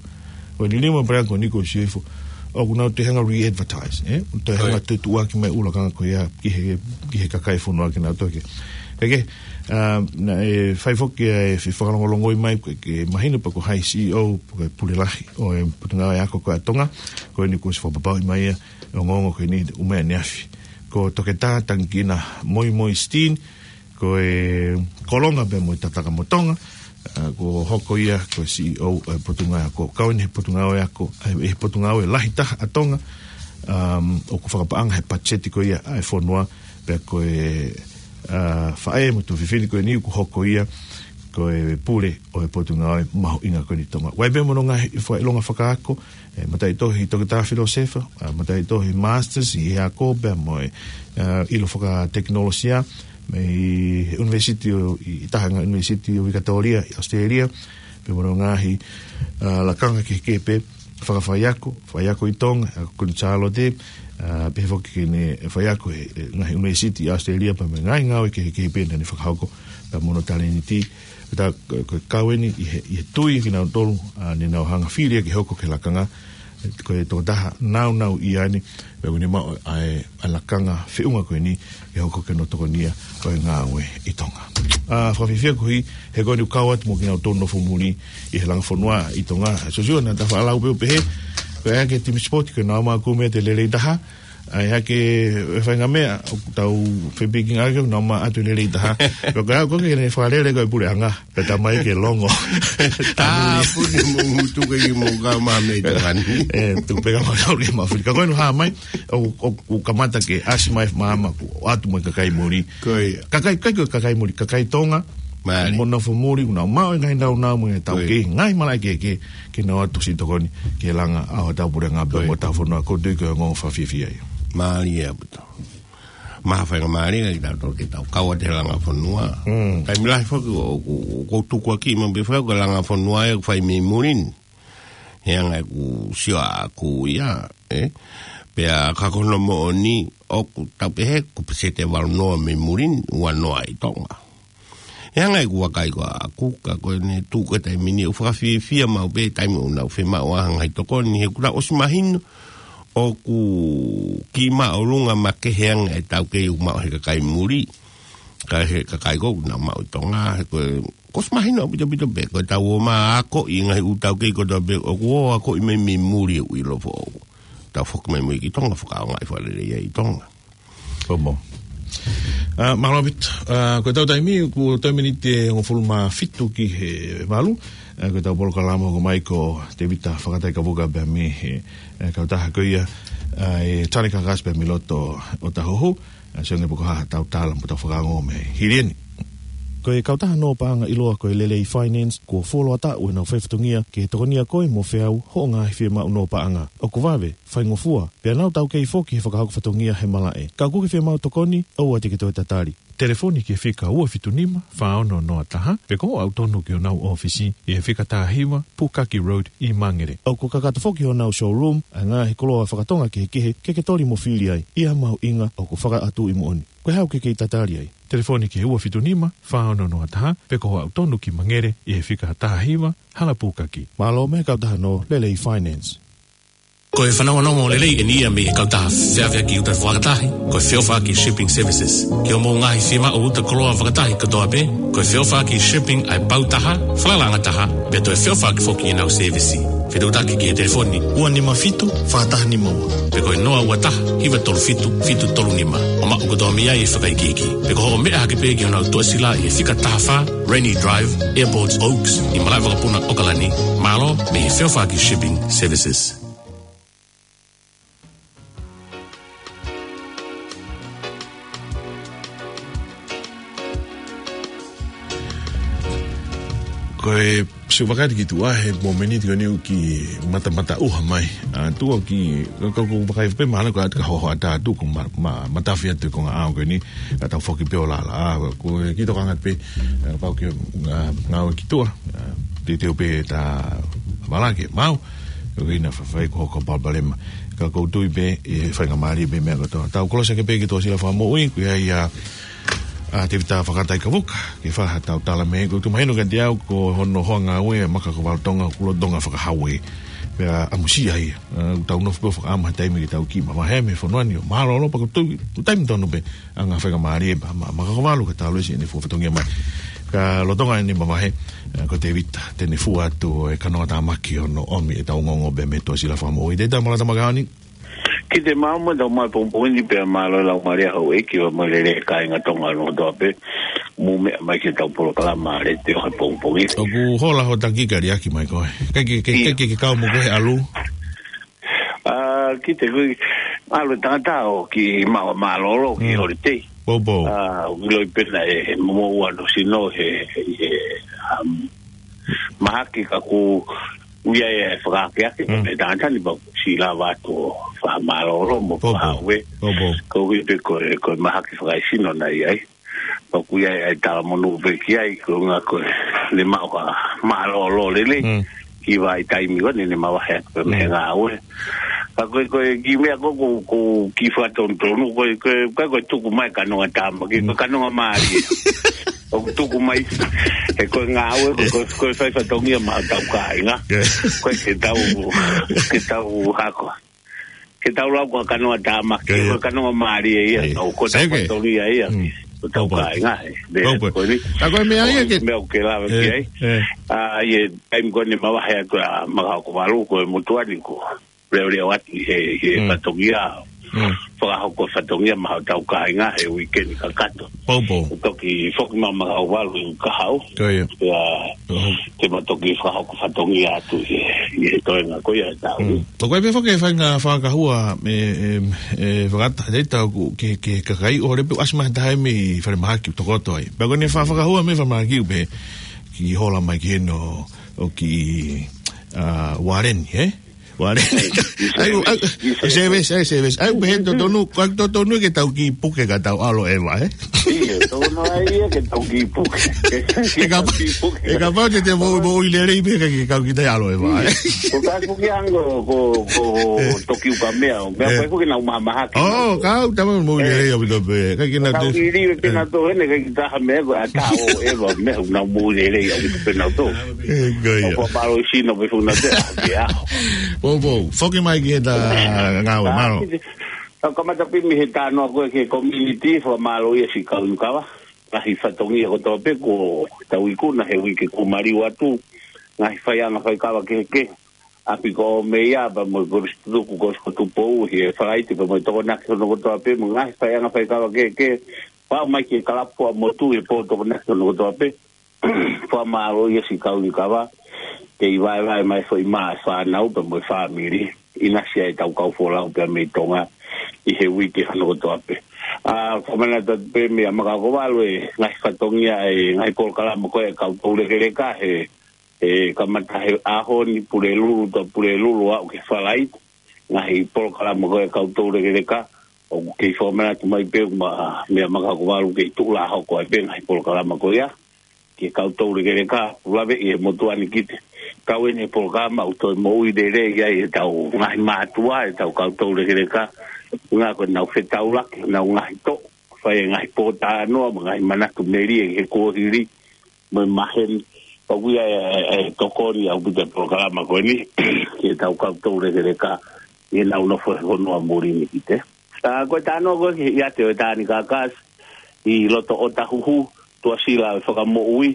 Ko e liliu ʻa e puleʻanga ko eni ko Siosiua, ʻoku nau toe hanga re-advertise, ē? Toe hanga ʻIo. Toe tuʻuaki mai ʻū lakanga ko ia ki he, ki he kakai fonua ke nau toki. Kae kehe, ʻa, naʻe fai foki ʻa e fefakalongolongoʻi mai ke, ke mahino pe ko hai C E O, pe ko e pule lahi ʻo e Potungāue Ako ko ia ʻa Tonga, ko eni kuo ʻosi fakapapauʻi mai ia, ongoongo ko eni ʻumeʻa neafi. Ko Toketā Tangikina Moimoi Steen, ko e kolonga pē mo e Tatakamotonga, ʻa, kuo hoko ia ko e C E O ʻo e Potungāue Ako. Kau eni he Potungāue Ako, ʻa, he Potungāue lahi taha ʻa Tonga, um, ʻoku fakapaʻanga he patiseti ko ia ʻa e fonua, pea ko e, ʻa, faʻē mo e tuofefine ko eni kuo hoko ia ko e pule ʻo e Potungāue mahuʻinga ko eni ʻi Tonga. ʻOku ʻi ai pē mo hono ngaahi fakaʻilonga fakaako, ʻe, mataʻitohi Toketā Filōsefa, ʻa, mataʻitohi Masters ʻi he ako pea mo e, ʻa, ʻilo fakatekinolosia, mei he ʻUnivēsiti ʻo, ʻi, ʻi taha e ngaahi ʻunivēsiti ʻo Vikatōlia ʻi ʻAositelēlia, pea mo hono ngaahi, ʻa, lakanga kehekehe pē, fakafaiako, faiako ʻi Tonga, ʻa, Kuini Sālote, ʻa, pehē foki ki heʻene faiako he, he ngaahi ʻunivēsiti ʻi ʻAositelēlia, pea mo e ngaahi ngāue kehekehe pē naʻa ne fakahoko, pea mo hono talēniti, Pea ko, ko e kau eni ʻi he, ʻi he tui kinautolu, ʻa, ne nau hanga fili ke hoko ko e lakanga, ko e tokotaha naunau ia eni, pea ʻoku ne maʻu ʻa e, ʻa e lakanga feʻunga ko eni, ke hoko ko hono tokonia ʻo e ngāue ʻi Tonga. ʻA, fakafiefia koeʻuhi, he ko eni ʻoku kau atu mo kinautolu nofo muli ʻi he langa fonua ʻi Tonga. Siosiua, naʻa ta faʻa lau pē ʻo pehē, ko e ʻai ke timi sipoti, ko e nau maʻu ko e meʻa te lelei taha, ʻa ia ke ʻe faingamālie ʻoku tau fepiki ngā ke nau maʻu atu lelei taha. Ko e kau ko ē ke ne fakalele ko e puleʻanga. Pea tā mai ke longo. Tāpuni mo ngutu ke i mo ka ma me te ngani. ʻE, tu peka ma kau ke ma fili. Ka ko eni hā mai, ʻo, ʻo, ʻo kamata ke ʻasi mai māmani ʻo ʻatu mo e kakai muli. Ko ia. Kakai, kakai ko e kakai muli, kakai Tonga. Mālie. Mo nofo muli, ʻoku nau maʻu e ngaahi naunau mo e tau Ko ia. Ke, ngaahi malaʻe kehekehe, ke nau ʻatu siʻi tokoni, ke langa ʻa hotau puleʻanga pea Ko ia. Mo hotau fonua, ʻoku ou tui ko e ongoongo fakafiefia ia. Mālie ʻaupito. Maha faingamālie kitautolu ke tau kau atu he langa fonua. Mm. Taimi lahi foki ʻoku, ʻoku, ʻoku tukuakiʻi maʻu pē foki ko e langa fonua ʻe fai mei muli ni. He anga ʻeku sio ʻaʻaku ia, ē? Pea ka ko hono moʻoni ʻoku tau pehē ko e peseti ʻe valu noa mei muli ni, ua noa ʻi Tonga. He anga ʻeku vakai ko ʻaʻaku, ka ko ʻene tuʻu ko e taimi ni ʻoku fakafiefia maʻu pē taimi ʻoku nau fiemaʻu ai ha ngaahi tokoni, he ʻoku nau ʻosi mahino ʻoku kiʻi māʻolunga makehe ange e taukei ʻoku maʻu he kakai muli. Ka he kakai ko ē ʻoku nau maʻu ʻi Tonga, he ko e, kuo ʻosi mahino ʻaupito pē, ko e tau ō mai ʻo akoʻi ngaahi ʻū taukei ko ē tau pehē, ʻoku ō ʻo akoʻi mai mei muli ʻoku ʻilo foʻou. Tau foki mai mo ia ki Tonga, fakaʻaongaʻi fakalelei ai ʻi Tonga. Ko mo. ʻA, mālō ʻaupito. ʻA, ko e tau taimi, kuo toe miniti ʻe hongofulu mā fitu ki he valu. ʻA, ko e tau polokalama ko mai ko Tēvita Fakataikavuka pea mei he, ʻe, kautaha ko ia, ʻa, ʻe Tane Kakas pea mei loto ʻo Tahohu. ʻA, sio ange pe ko e hā ha tau tala mo tau fakaongo mei hili eni. Ko e kautaha nō paʻanga ʻiloa ko e Lelei Finance, kuo fuoloa taʻu ʻenau faifatongia ke tokonia koe mo feau hoʻo ngaahi fiemaʻu nō paʻanga. ʻOku vave, faingofua, pea nau taukei foki he fakahoko fatongia he malaʻe. Ka ʻoku ke fiemaʻu tokoni, ʻoua te ke toe tatali. Telefoni ki he fika ua fitu nima, fā ono noa taha, pe ko hoʻo aʻu tonu ki honau ʻōfisi, ʻi he fika taha hiva, Pukaki Road, ʻi Mangere. ʻOku kakato foki honau showroom, ʻa e ngaahi koloa fakatonga kehekehe, ke ke toli mo fili ai, ʻi ha mahuʻinga ʻoku fakaʻatuʻi moʻoni. Ko e hā ʻoku ke kei tatali ai? Telefoni ki he ua fitu nima, fā ono noa taha, pe ko hoʻo aʻu tonu ki Mangere, ʻi he fika taha hiva, Hala Pukaki. Mālō mei he kautaha nō Lelei Finance. Ko e fanongonongo lelei eni ia mei he kautaha feʻaveʻaki uta fakatahi, ko e feʻofaʻaki shipping services. Ki hoʻomou ngaahi fiemaʻu uta koloa fakatahi kotoa pē, ko e feʻofaʻaki shipping ʻa e pau taha, falalaʻanga taha, pea toe feʻofaʻaki foki ʻenau sēvisi. Fetuʻutaki ki he telefoni ua nima fitu, fā taha nima ua. Pe ko e noa ua taha, hiva tolu fitu, fitu tolu nima. ʻO maʻu kotoa mei ai e fakaikiiki. Pe ko hoʻo meʻa hake pē ki honau tuʻasila ʻi he fika taha fā, Rennie Drive, Airport Oaks, ʻi Malaʻevakapuna, ʻAokalani. Mālō mei he feʻofaʻaki shipping services. Ko e siʻi fakataha ki tuʻa he momeniti ko eni ʻoku kiʻi matamata ʻuha mai. ʻA, tuʻa ʻoku kiʻi, ka, ka, ʻoku ou vakai pē mahalo ko e ʻata ka hoho ʻatā atu ko ma, ma, matafi atu e konga ʻao ko eni, ka tau foki pē ʻo lala. ʻA, ko e kiʻi tokanga pē, ʻa, pau ke, ʻa, ngāue ki tuʻa, ʻa, teuteu pē ta vala ke mau, ko ina fafai ko hoko palopalema. Ka ʻoku ou tui pē, ʻe faingamālie pē meʻa kotoa. Tau kolosi hake pē ki he tuʻasila fakamoʻui, ko ia ia, ʻa, Tēvita Fakataikavuka, ke fai haʻatau tala mei he, ʻoku tuʻu mahino kiate au, ko hono hoa ngāue, Maka ko Valotonga, ʻoku lolotonga fakahau ē. Pea ʻamusia ia, ʻa, ʻoku tau nofo pē ʻo fakaʻamu ha taimi ke tau kiʻi mavahe mei he fonua ni, ʻo mālōlō pea ko e tuʻu, tuʻu taimi tonu pē, ʻa e ngaahi faingamālie pea ma, Maka ko Valo ke tau lesi ʻene fua fatongia mai. Ka lolotonga ʻene mavahe, ʻa, ko Tēvita, te ne fua atu e kanongatāmaki hono ʻomi ʻetau ongoongo pē mei he tuʻasila fakamoʻui. Tēvita, mālō e tau maʻu e kahaʻu ni. Ki te mau mo tau mai pongipongi ni pea mālō e laumālie houʻeiki mo e lelei kāinga Tonga ʻo Tonga kotoa pē. Mou meʻa mai ki heʻetau polokalama letiō he pongipongi ni. ʻOku hola hoʻo taki ka liʻaki mai koe. Kae ke, ke, ʻIo. kae ke, ke kau mo koe he ʻalu. ʻA, ki te kui, ʻalu e tangata ʻo kiʻi maʻu mālōlō ki Mm. holiday. Pou, pou. ʻA, ʻoku ʻiloʻi pē naʻe momoʻua hono sino he, he, he, um, mahaki ka ʻoku ʻi ai e fakaakeake Mm. mei he tangata ni pea ʻoku siʻi lava atu ʻo fakamālōlō mo Pou, pou. fakaaue. Pou, pou. Koeʻuhi pē ko e, ko e mahaki fakaesino naʻe ʻi ai. Pea ʻoku ʻi ai e talamonū pē ki ai, ko e ʻuhinga ko ʻene maʻu ha mālōlō lelei. Mm. Ki he vahaʻa taimi ko eni naʻá ne mavahe atu pē mei he Mm. ngāue. Ka ko e, ko e kiʻi meʻa ko ē ʻoku, ʻoku ou kiʻi fakatonutonu, ko e, ko e, ko e, ko e tuku mai kanongatāmaki, ko e Mm. kanonga mālie. ʻOku tuku mai, he ko e ngāue, ko e, ko e, ko e fai fatongia maʻa hotau kāinga. Yeah. Ko e ke tau, ke tau hako. Ke tau lau ko e kanongatāmaki, Ko ia. ko e kanonga mālie ia, Ia. ʻo ko e Sai ke. fatongia ia. Mm. Ko hotau Pau, pau. kāinga, ē. Pau, pau. Ko eni. ʻA, ko e meʻa ia Ko e ke meʻa ʻoku ke lave ki Eh, ai. eh. ʻA, ʻi he taimi ko eni mavahe atu ʻa Maka ko Valo ko e motuʻa ni ko e leʻoleʻo atu he, he Mm. fatongia. Mm. Fakahoko fatongia maʻa hotau kāinga he uike ni kakato. Pou, pou. Toki foki mai Maka ko Valo ʻi he kahaʻu. Ko ia. Ia, Oh. te ma toki fakahoko fatongia atu he, he toenga ko ia ʻetau. Mm. Ko koe pē foki e faʻahinga fakahua, e, e, e, fakata, te tau ku, ke, ke kakai ʻo lepe ʻasi mai taha mei falemahaki ʻoku tokoto ai. Pea ko ʻene fa-, fakahua mei falemahaki ʻoku pehē ke hola mai ki heni ʻo kiʻi, ʻa, Wareni, ē? Wareni. ʻAi, ʻai, service, ʻai, service. ʻAi, pehē totonu, ʻoku totonu ke tau kiʻi puke ka tau ʻalu ʻeva, ē? ʻIo, totonu ai ia ke tau kiʻi puke. Ke, ke ʻE kapa-, tau kiʻi puke. ʻE kapau te te mo, moʻui lelei pē ka ke kau kita ʻalu ʻeva, ē? ʻIo. Ko ka puke ango ko, ko Eh. toki uka meʻa, ʻo meʻa Eh. pai puke nau mahamahaki. Oh, kau tama moʻui Eh. lelei ʻaupito pē. Ka ke na Kau te- ʻili pē Eh. na to hene, ka kita ha meʻa ko ʻata ʻo ʻeva meʻa nau moʻui lelei ʻaupito pē nau to. Eh, ko ia. Ko mālō sino pē funa te a ke a. Pou, pou. Foki mai ki heʻeta ngāue, Ah, mālō. ki te, ka kamata pē mei he talanoa ko ē ki he community, fakamālō ia siʻi kau inu kava. Ngaahi fatongia kotoa pē ko tau ikuna he uike kuo maliu atu. Ngaahi faiʻanga faikava kehekehe. ʻApi ko Meia pea mo e Kolisi Tutuku, Kolisi ko Tupou, he Falaite pea mo e Tokonaki hono kotoa pē, mo e ngaahi faiʻanga faikava kehekehe. Pau mai ki he kalapu ʻa motu he pō Tokonaki hono kotoa pē. Fakamālō ia siʻi kau inu kava, kei vaevae mai foʻi mā e fānau pea mo e fāmili, ʻinasi ai ʻetau kau folau pea mei Tonga ʻi he uike hono kotoa pē. ʻA, fakamanatu atu pē meia Maka ko Valo e ngaahi fatongia e ngaahi polokalama ko ē kau toulekeleka he, he kamata he ʻaho ni Pulelulu, to Pulelulu aʻu ki he Falaite, ngaahi polokalama ko ē kau toulekeleka, ʻoku kei fakamanatu mai pē ma, meia Maka ko Valo kei tuʻu lā hoko ai pē ngaahi polokalama ko ia ki he kau toulekeleka, ʻoku laveʻi ʻe he motuʻa ni ki te kau eni he polokalama ʻoku toe moʻui lelei ai ʻetau ngaahi mātuʻa, ʻetau kau toulekeleka, ʻuhinga ko ʻenau fetaulaki, ʻenau ngaahi toʻo, fai e ngaahi pōtalanoa, mo e ngaahi manatu melie he kuohili, mo e maheni, ʻoku ʻi ai e, e, e tokoni ʻaupito e polokalama ko eni, ki heʻetau kau toulekeleka, ʻenau nofo he fonua muli ni ki te. Ā, ko e talanoa ko ē ki he ʻiate ʻo e Tanikakasi ʻi loto ʻOtahuhu, Tuʻasila ʻo e Fakamoʻui,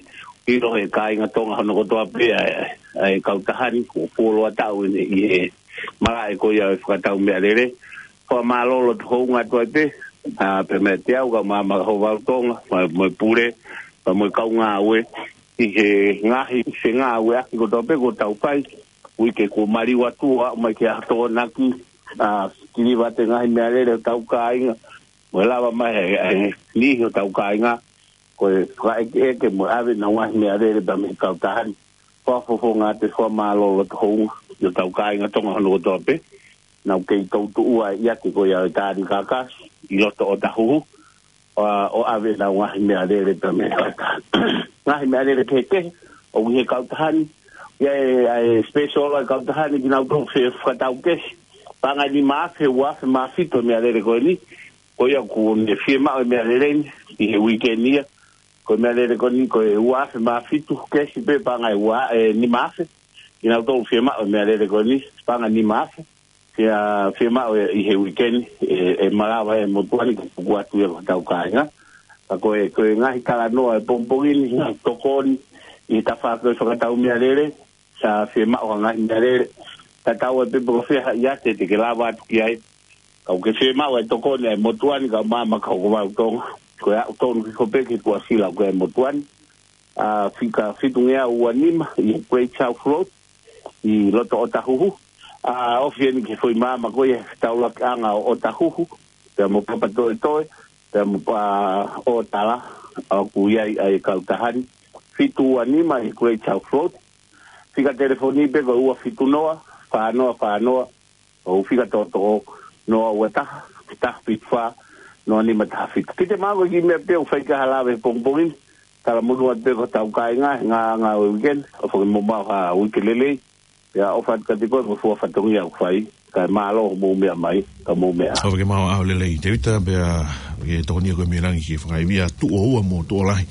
ʻilo he kāinga Tonga hono kotoa pē ʻa e, ʻa e kautaha ni, kuo fuoloa taʻu ʻeni ʻi he malaʻe ko ia ʻo e fakatau meʻalele. Fakamālō loto hounga atu ai pē, ā, pea mei te au ka Maama Hovau Tonga, mo e, mo e pule, pea mo e kau ngāue, ʻi he ngaahi fengāueʻaki kotoa pē kuo tau fai, uike kuo maliu atu ʻo aʻu mai ki he ʻaho Tokonaki, ā, kiliva atu e ngaahi meʻalele ʻo hotau kāinga, mo e lava mai e, e, niʻihi ʻo hotau kāinga, ko e fakaʻekeʻeke mo e ʻave ʻenau ngaahi meʻalele pea mei he kautaha ni. Fakafofonga atu e fakamālō loto hounga ʻi hotau kāinga Tonga hono kotoa pē, naʻa nau kei toutuʻua ʻi he ʻiate ko ia ʻo e Tanikakasi ʻi loto ʻOtahuhu, ʻo, ʻo ʻave ʻenau ngaahi meʻalele pea mei he kautaha ni. Ngaahi meʻalele kehekehe ʻoku ʻi he kautaha ni, ʻi ai e, ʻa e special ʻa e kautaha ni kinautolu fe-, fakatau kehe. Paʻanga ʻe nima afe, ua afe mā fitu e meʻalele ko eni, ko ia ʻoku ne fiemaʻu e meʻalele ni ʻi he uike ni ia. Ko e meʻalele ko eni ko e ua afe mā fitu, kesi pē paʻanga ʻe ua, ʻe nima afe. Kinautolu fiemaʻu e meʻalele ko eni, paʻanga ʻe nima afe. Fie, fiemaʻu ʻe, ʻi he uike ni, ʻe, ʻe malava e motuʻa ni ke tuku atu ia ki hotau kāinga. Ka ko e, ko e ngaahi talanoa ʻo e pongipongi ni, ngaahi tokoni ʻi he tafaʻaki ʻo e fakatau meʻalele, ʻa e fiemaʻu ha ngaahi meʻalele. Tatau ai pē pe ko fē ha ʻiate te ke lava atu ki ai. Ka ʻoku ke fiemaʻu e tokoni ʻa e motuʻa ni, ka Maama Hovau Tonga, ko e aʻu tonu hifo pē ki he Tuʻasila ʻoku ʻi ai e motuʻa ni. Ā, fika fitungeau ua nima ʻi he Great South Road ʻi loto ʻOtahuhu. Ā, ofi eni ki he foʻi maama ko ia he taulakiʻanga ʻo ʻOtahuhu, pea mo Papatoetoe, pea mo Paʻa ʻo Tala, ʻoku ʻi ai ʻa e kautaha ni. Fitu ua nima ʻi he Great South Road. Fika telefoni pē ko e ua fitu noa, fā noa fā noa, ʻo fika toʻotoʻo, noa ua taha, taha fitu fā, noa nima taha fitu. Kiate au ko e kiʻi meʻa pē ʻoku fai ki ai ha lave he pongipongi ni, talamonū atu pē ki hotau kāinga, he ngaahi ʻaho ʻo e uike ni, ʻofa ke mou maʻu ha uike lelei, pea ʻofa atu kiate koe mo e fua fatongia ʻoku fai, kae mālō hoʻomou meʻa mai, ka mou meʻa. ʻOfa ke maʻu ha ʻaho lelei, Tēvita, pea ke tokoni ʻa koe mei langi ki he fakaivia, tuʻo ua mo tuʻo lahi,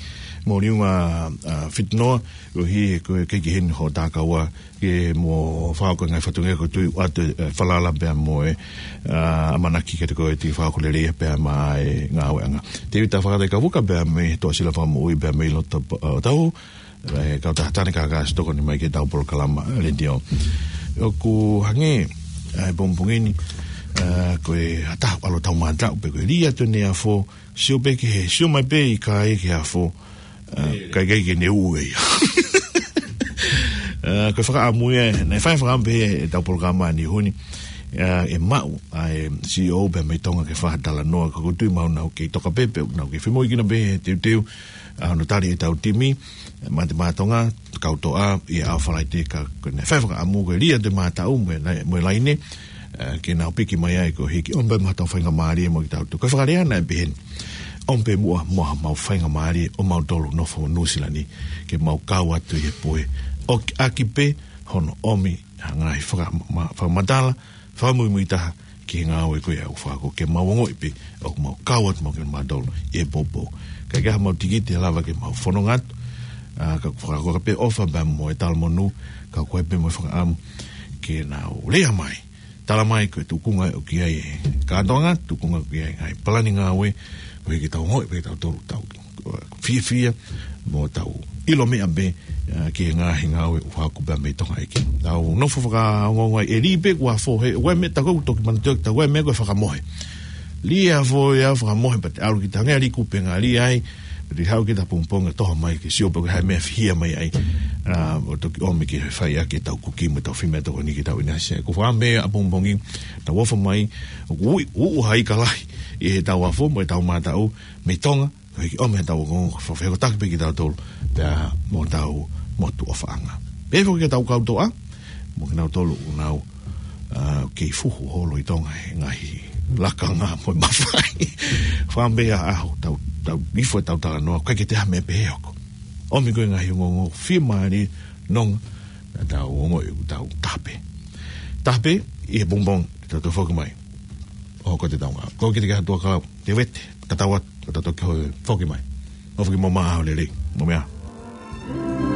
mo liunga, ā, fitu noa, ʻoku ʻi ai ko e kei ki heni hoʻo takaua, ke mo fakahoko e ngaahi fatongia ko e tui atu, ē, falala pea mo e, ā, ʻamanaki kiate koe te ke fakahoko lelei pea mo e ngāueʻanga. Tēvita Fakatakavuka pea mei Tuʻasila Fakamoʻui pea mei loto, ā, ʻOtahuhu, ē, kautaha Tanikakasi tokoni mai ki heʻetau polokalama letiō. ʻOku hangē, ā, he pongipongi ni, ā, ko e ʻaho ʻalu ʻetau mātaʻu pe ko e lī atu eni e afo, sio pē ki he, sio mai pē ʻi he kai ki he afo, ā, ʻikai ke ne ʻū ia. Ā, ko e fakaʻamu ia, naʻe fai fakaʻamu pē ʻetau polokalama ʻaneheni, ā, ʻe maʻu ʻa e C E O pea mei Tonga ke fai ha talanoa, ka ʻoku ou tui ʻoku nau kei toka pē, pea nau kei femoʻuekina pē he teuteu, ā, hono tali ʻetau timi, Mate Maʻa Tonga, kau toʻa, ʻi he ʻaho Falaite ka, ko e naʻe fai fakaʻamu ko e lī atu e mātaʻu mo e, mo e laine, ā, ke nau piki mai ai koeʻuhi ke ʻomi pē mo haʻatau faingamālie mo kitautolu. Ko e fakalea naʻe pehē ni, ʻomi pē muʻa mo haʻamau faingamālie ʻo mautolu nofo Nuʻusila ni, ke mau kau atu ʻi he pō. ʻOku ʻaki pē hono ʻomi ha ngaahi faka-, ma-, fakamatala, fakamuimui taha ki he ngāue ko ia ʻoku fakahoko ke mau ongoʻi pē ʻoku mau kau atu mautolu ʻi he poupou. ʻIkai ke ʻi ai haʻamau tikite lava ke mau fononga atu, ā, ka ʻoku fakahoko pē ʻofa pea mo e talamonū, ka ʻoku ʻi ai pē mo e fakaʻamu ke nau lea mai. Tala mai ko e tuʻunga ʻoku ʻi ai e kātoanga, tuʻunga ʻoku ʻi ai e ngaahi palani ngāue, koeʻuhi ke tau ongoʻi pē kitautolu ʻoku tau fiefia, mo tau ʻilo meʻa pē, ā, ki he ngaahi ngāue ʻoku hoko pē mei Tonga ʻEiki. Tau nofo fakaongoongo ai, ʻe lī pē kuo afo he, ʻoku ʻi ai e meʻa ʻoku tau toki manatuʻi ʻoku tau, ʻoku ʻi ai e meʻa ko e fakamohe. Lī e afo ia fakamohe pea te ʻalu kita hangē ha lī kupenga, lī ai, pea te haʻu kita pongipongi ʻo toho mai ke sio pe ko e hā e meʻa ʻe fihia mai ai. Ā, ʻo toki ʻomi ke fai ʻaki ʻetau kuki mo ʻetau fai meʻatokoni ki heʻetau ʻinasi. Ko e fakaʻamu ia ʻapongipongi, tau ʻofa mai, ʻoku ui, ʻuʻu ha ika lahi ʻi heʻetau afo mo ʻetau mātaʻu mei Tonga, koeʻuhi ke ʻomi ʻetau ongoongo, fakafehokotaki pē kitautolu, pea mo hotau motu ʻofaʻanga. Pehē foki ki heʻetau kau toʻa, mo kinautolu ʻoku nau, ā, kei fuhu holo ʻi Tonga he ngaahi lakanga mo e mafai. Fakaʻamu pē ha ʻaho, tau, tau hifo ʻetau talanoa, ʻikai ke toe ʻi ai ha meʻa pehē ʻe hoko. ʻOmi ko e ngaahi ongoongo fiemālie, nonga, naʻa tau ongoʻi ʻoku tau taha pē. Taha pē, ʻi he pongipongi, te tau toe foki mai. ʻO ko e te tau ngā. Ko kita ki ha tuʻa kau, te vete, tatau atu, ka tau toki hoi foki mai. ʻOfa ke mou maʻu ha ʻaho lelei, mou meʻa ā.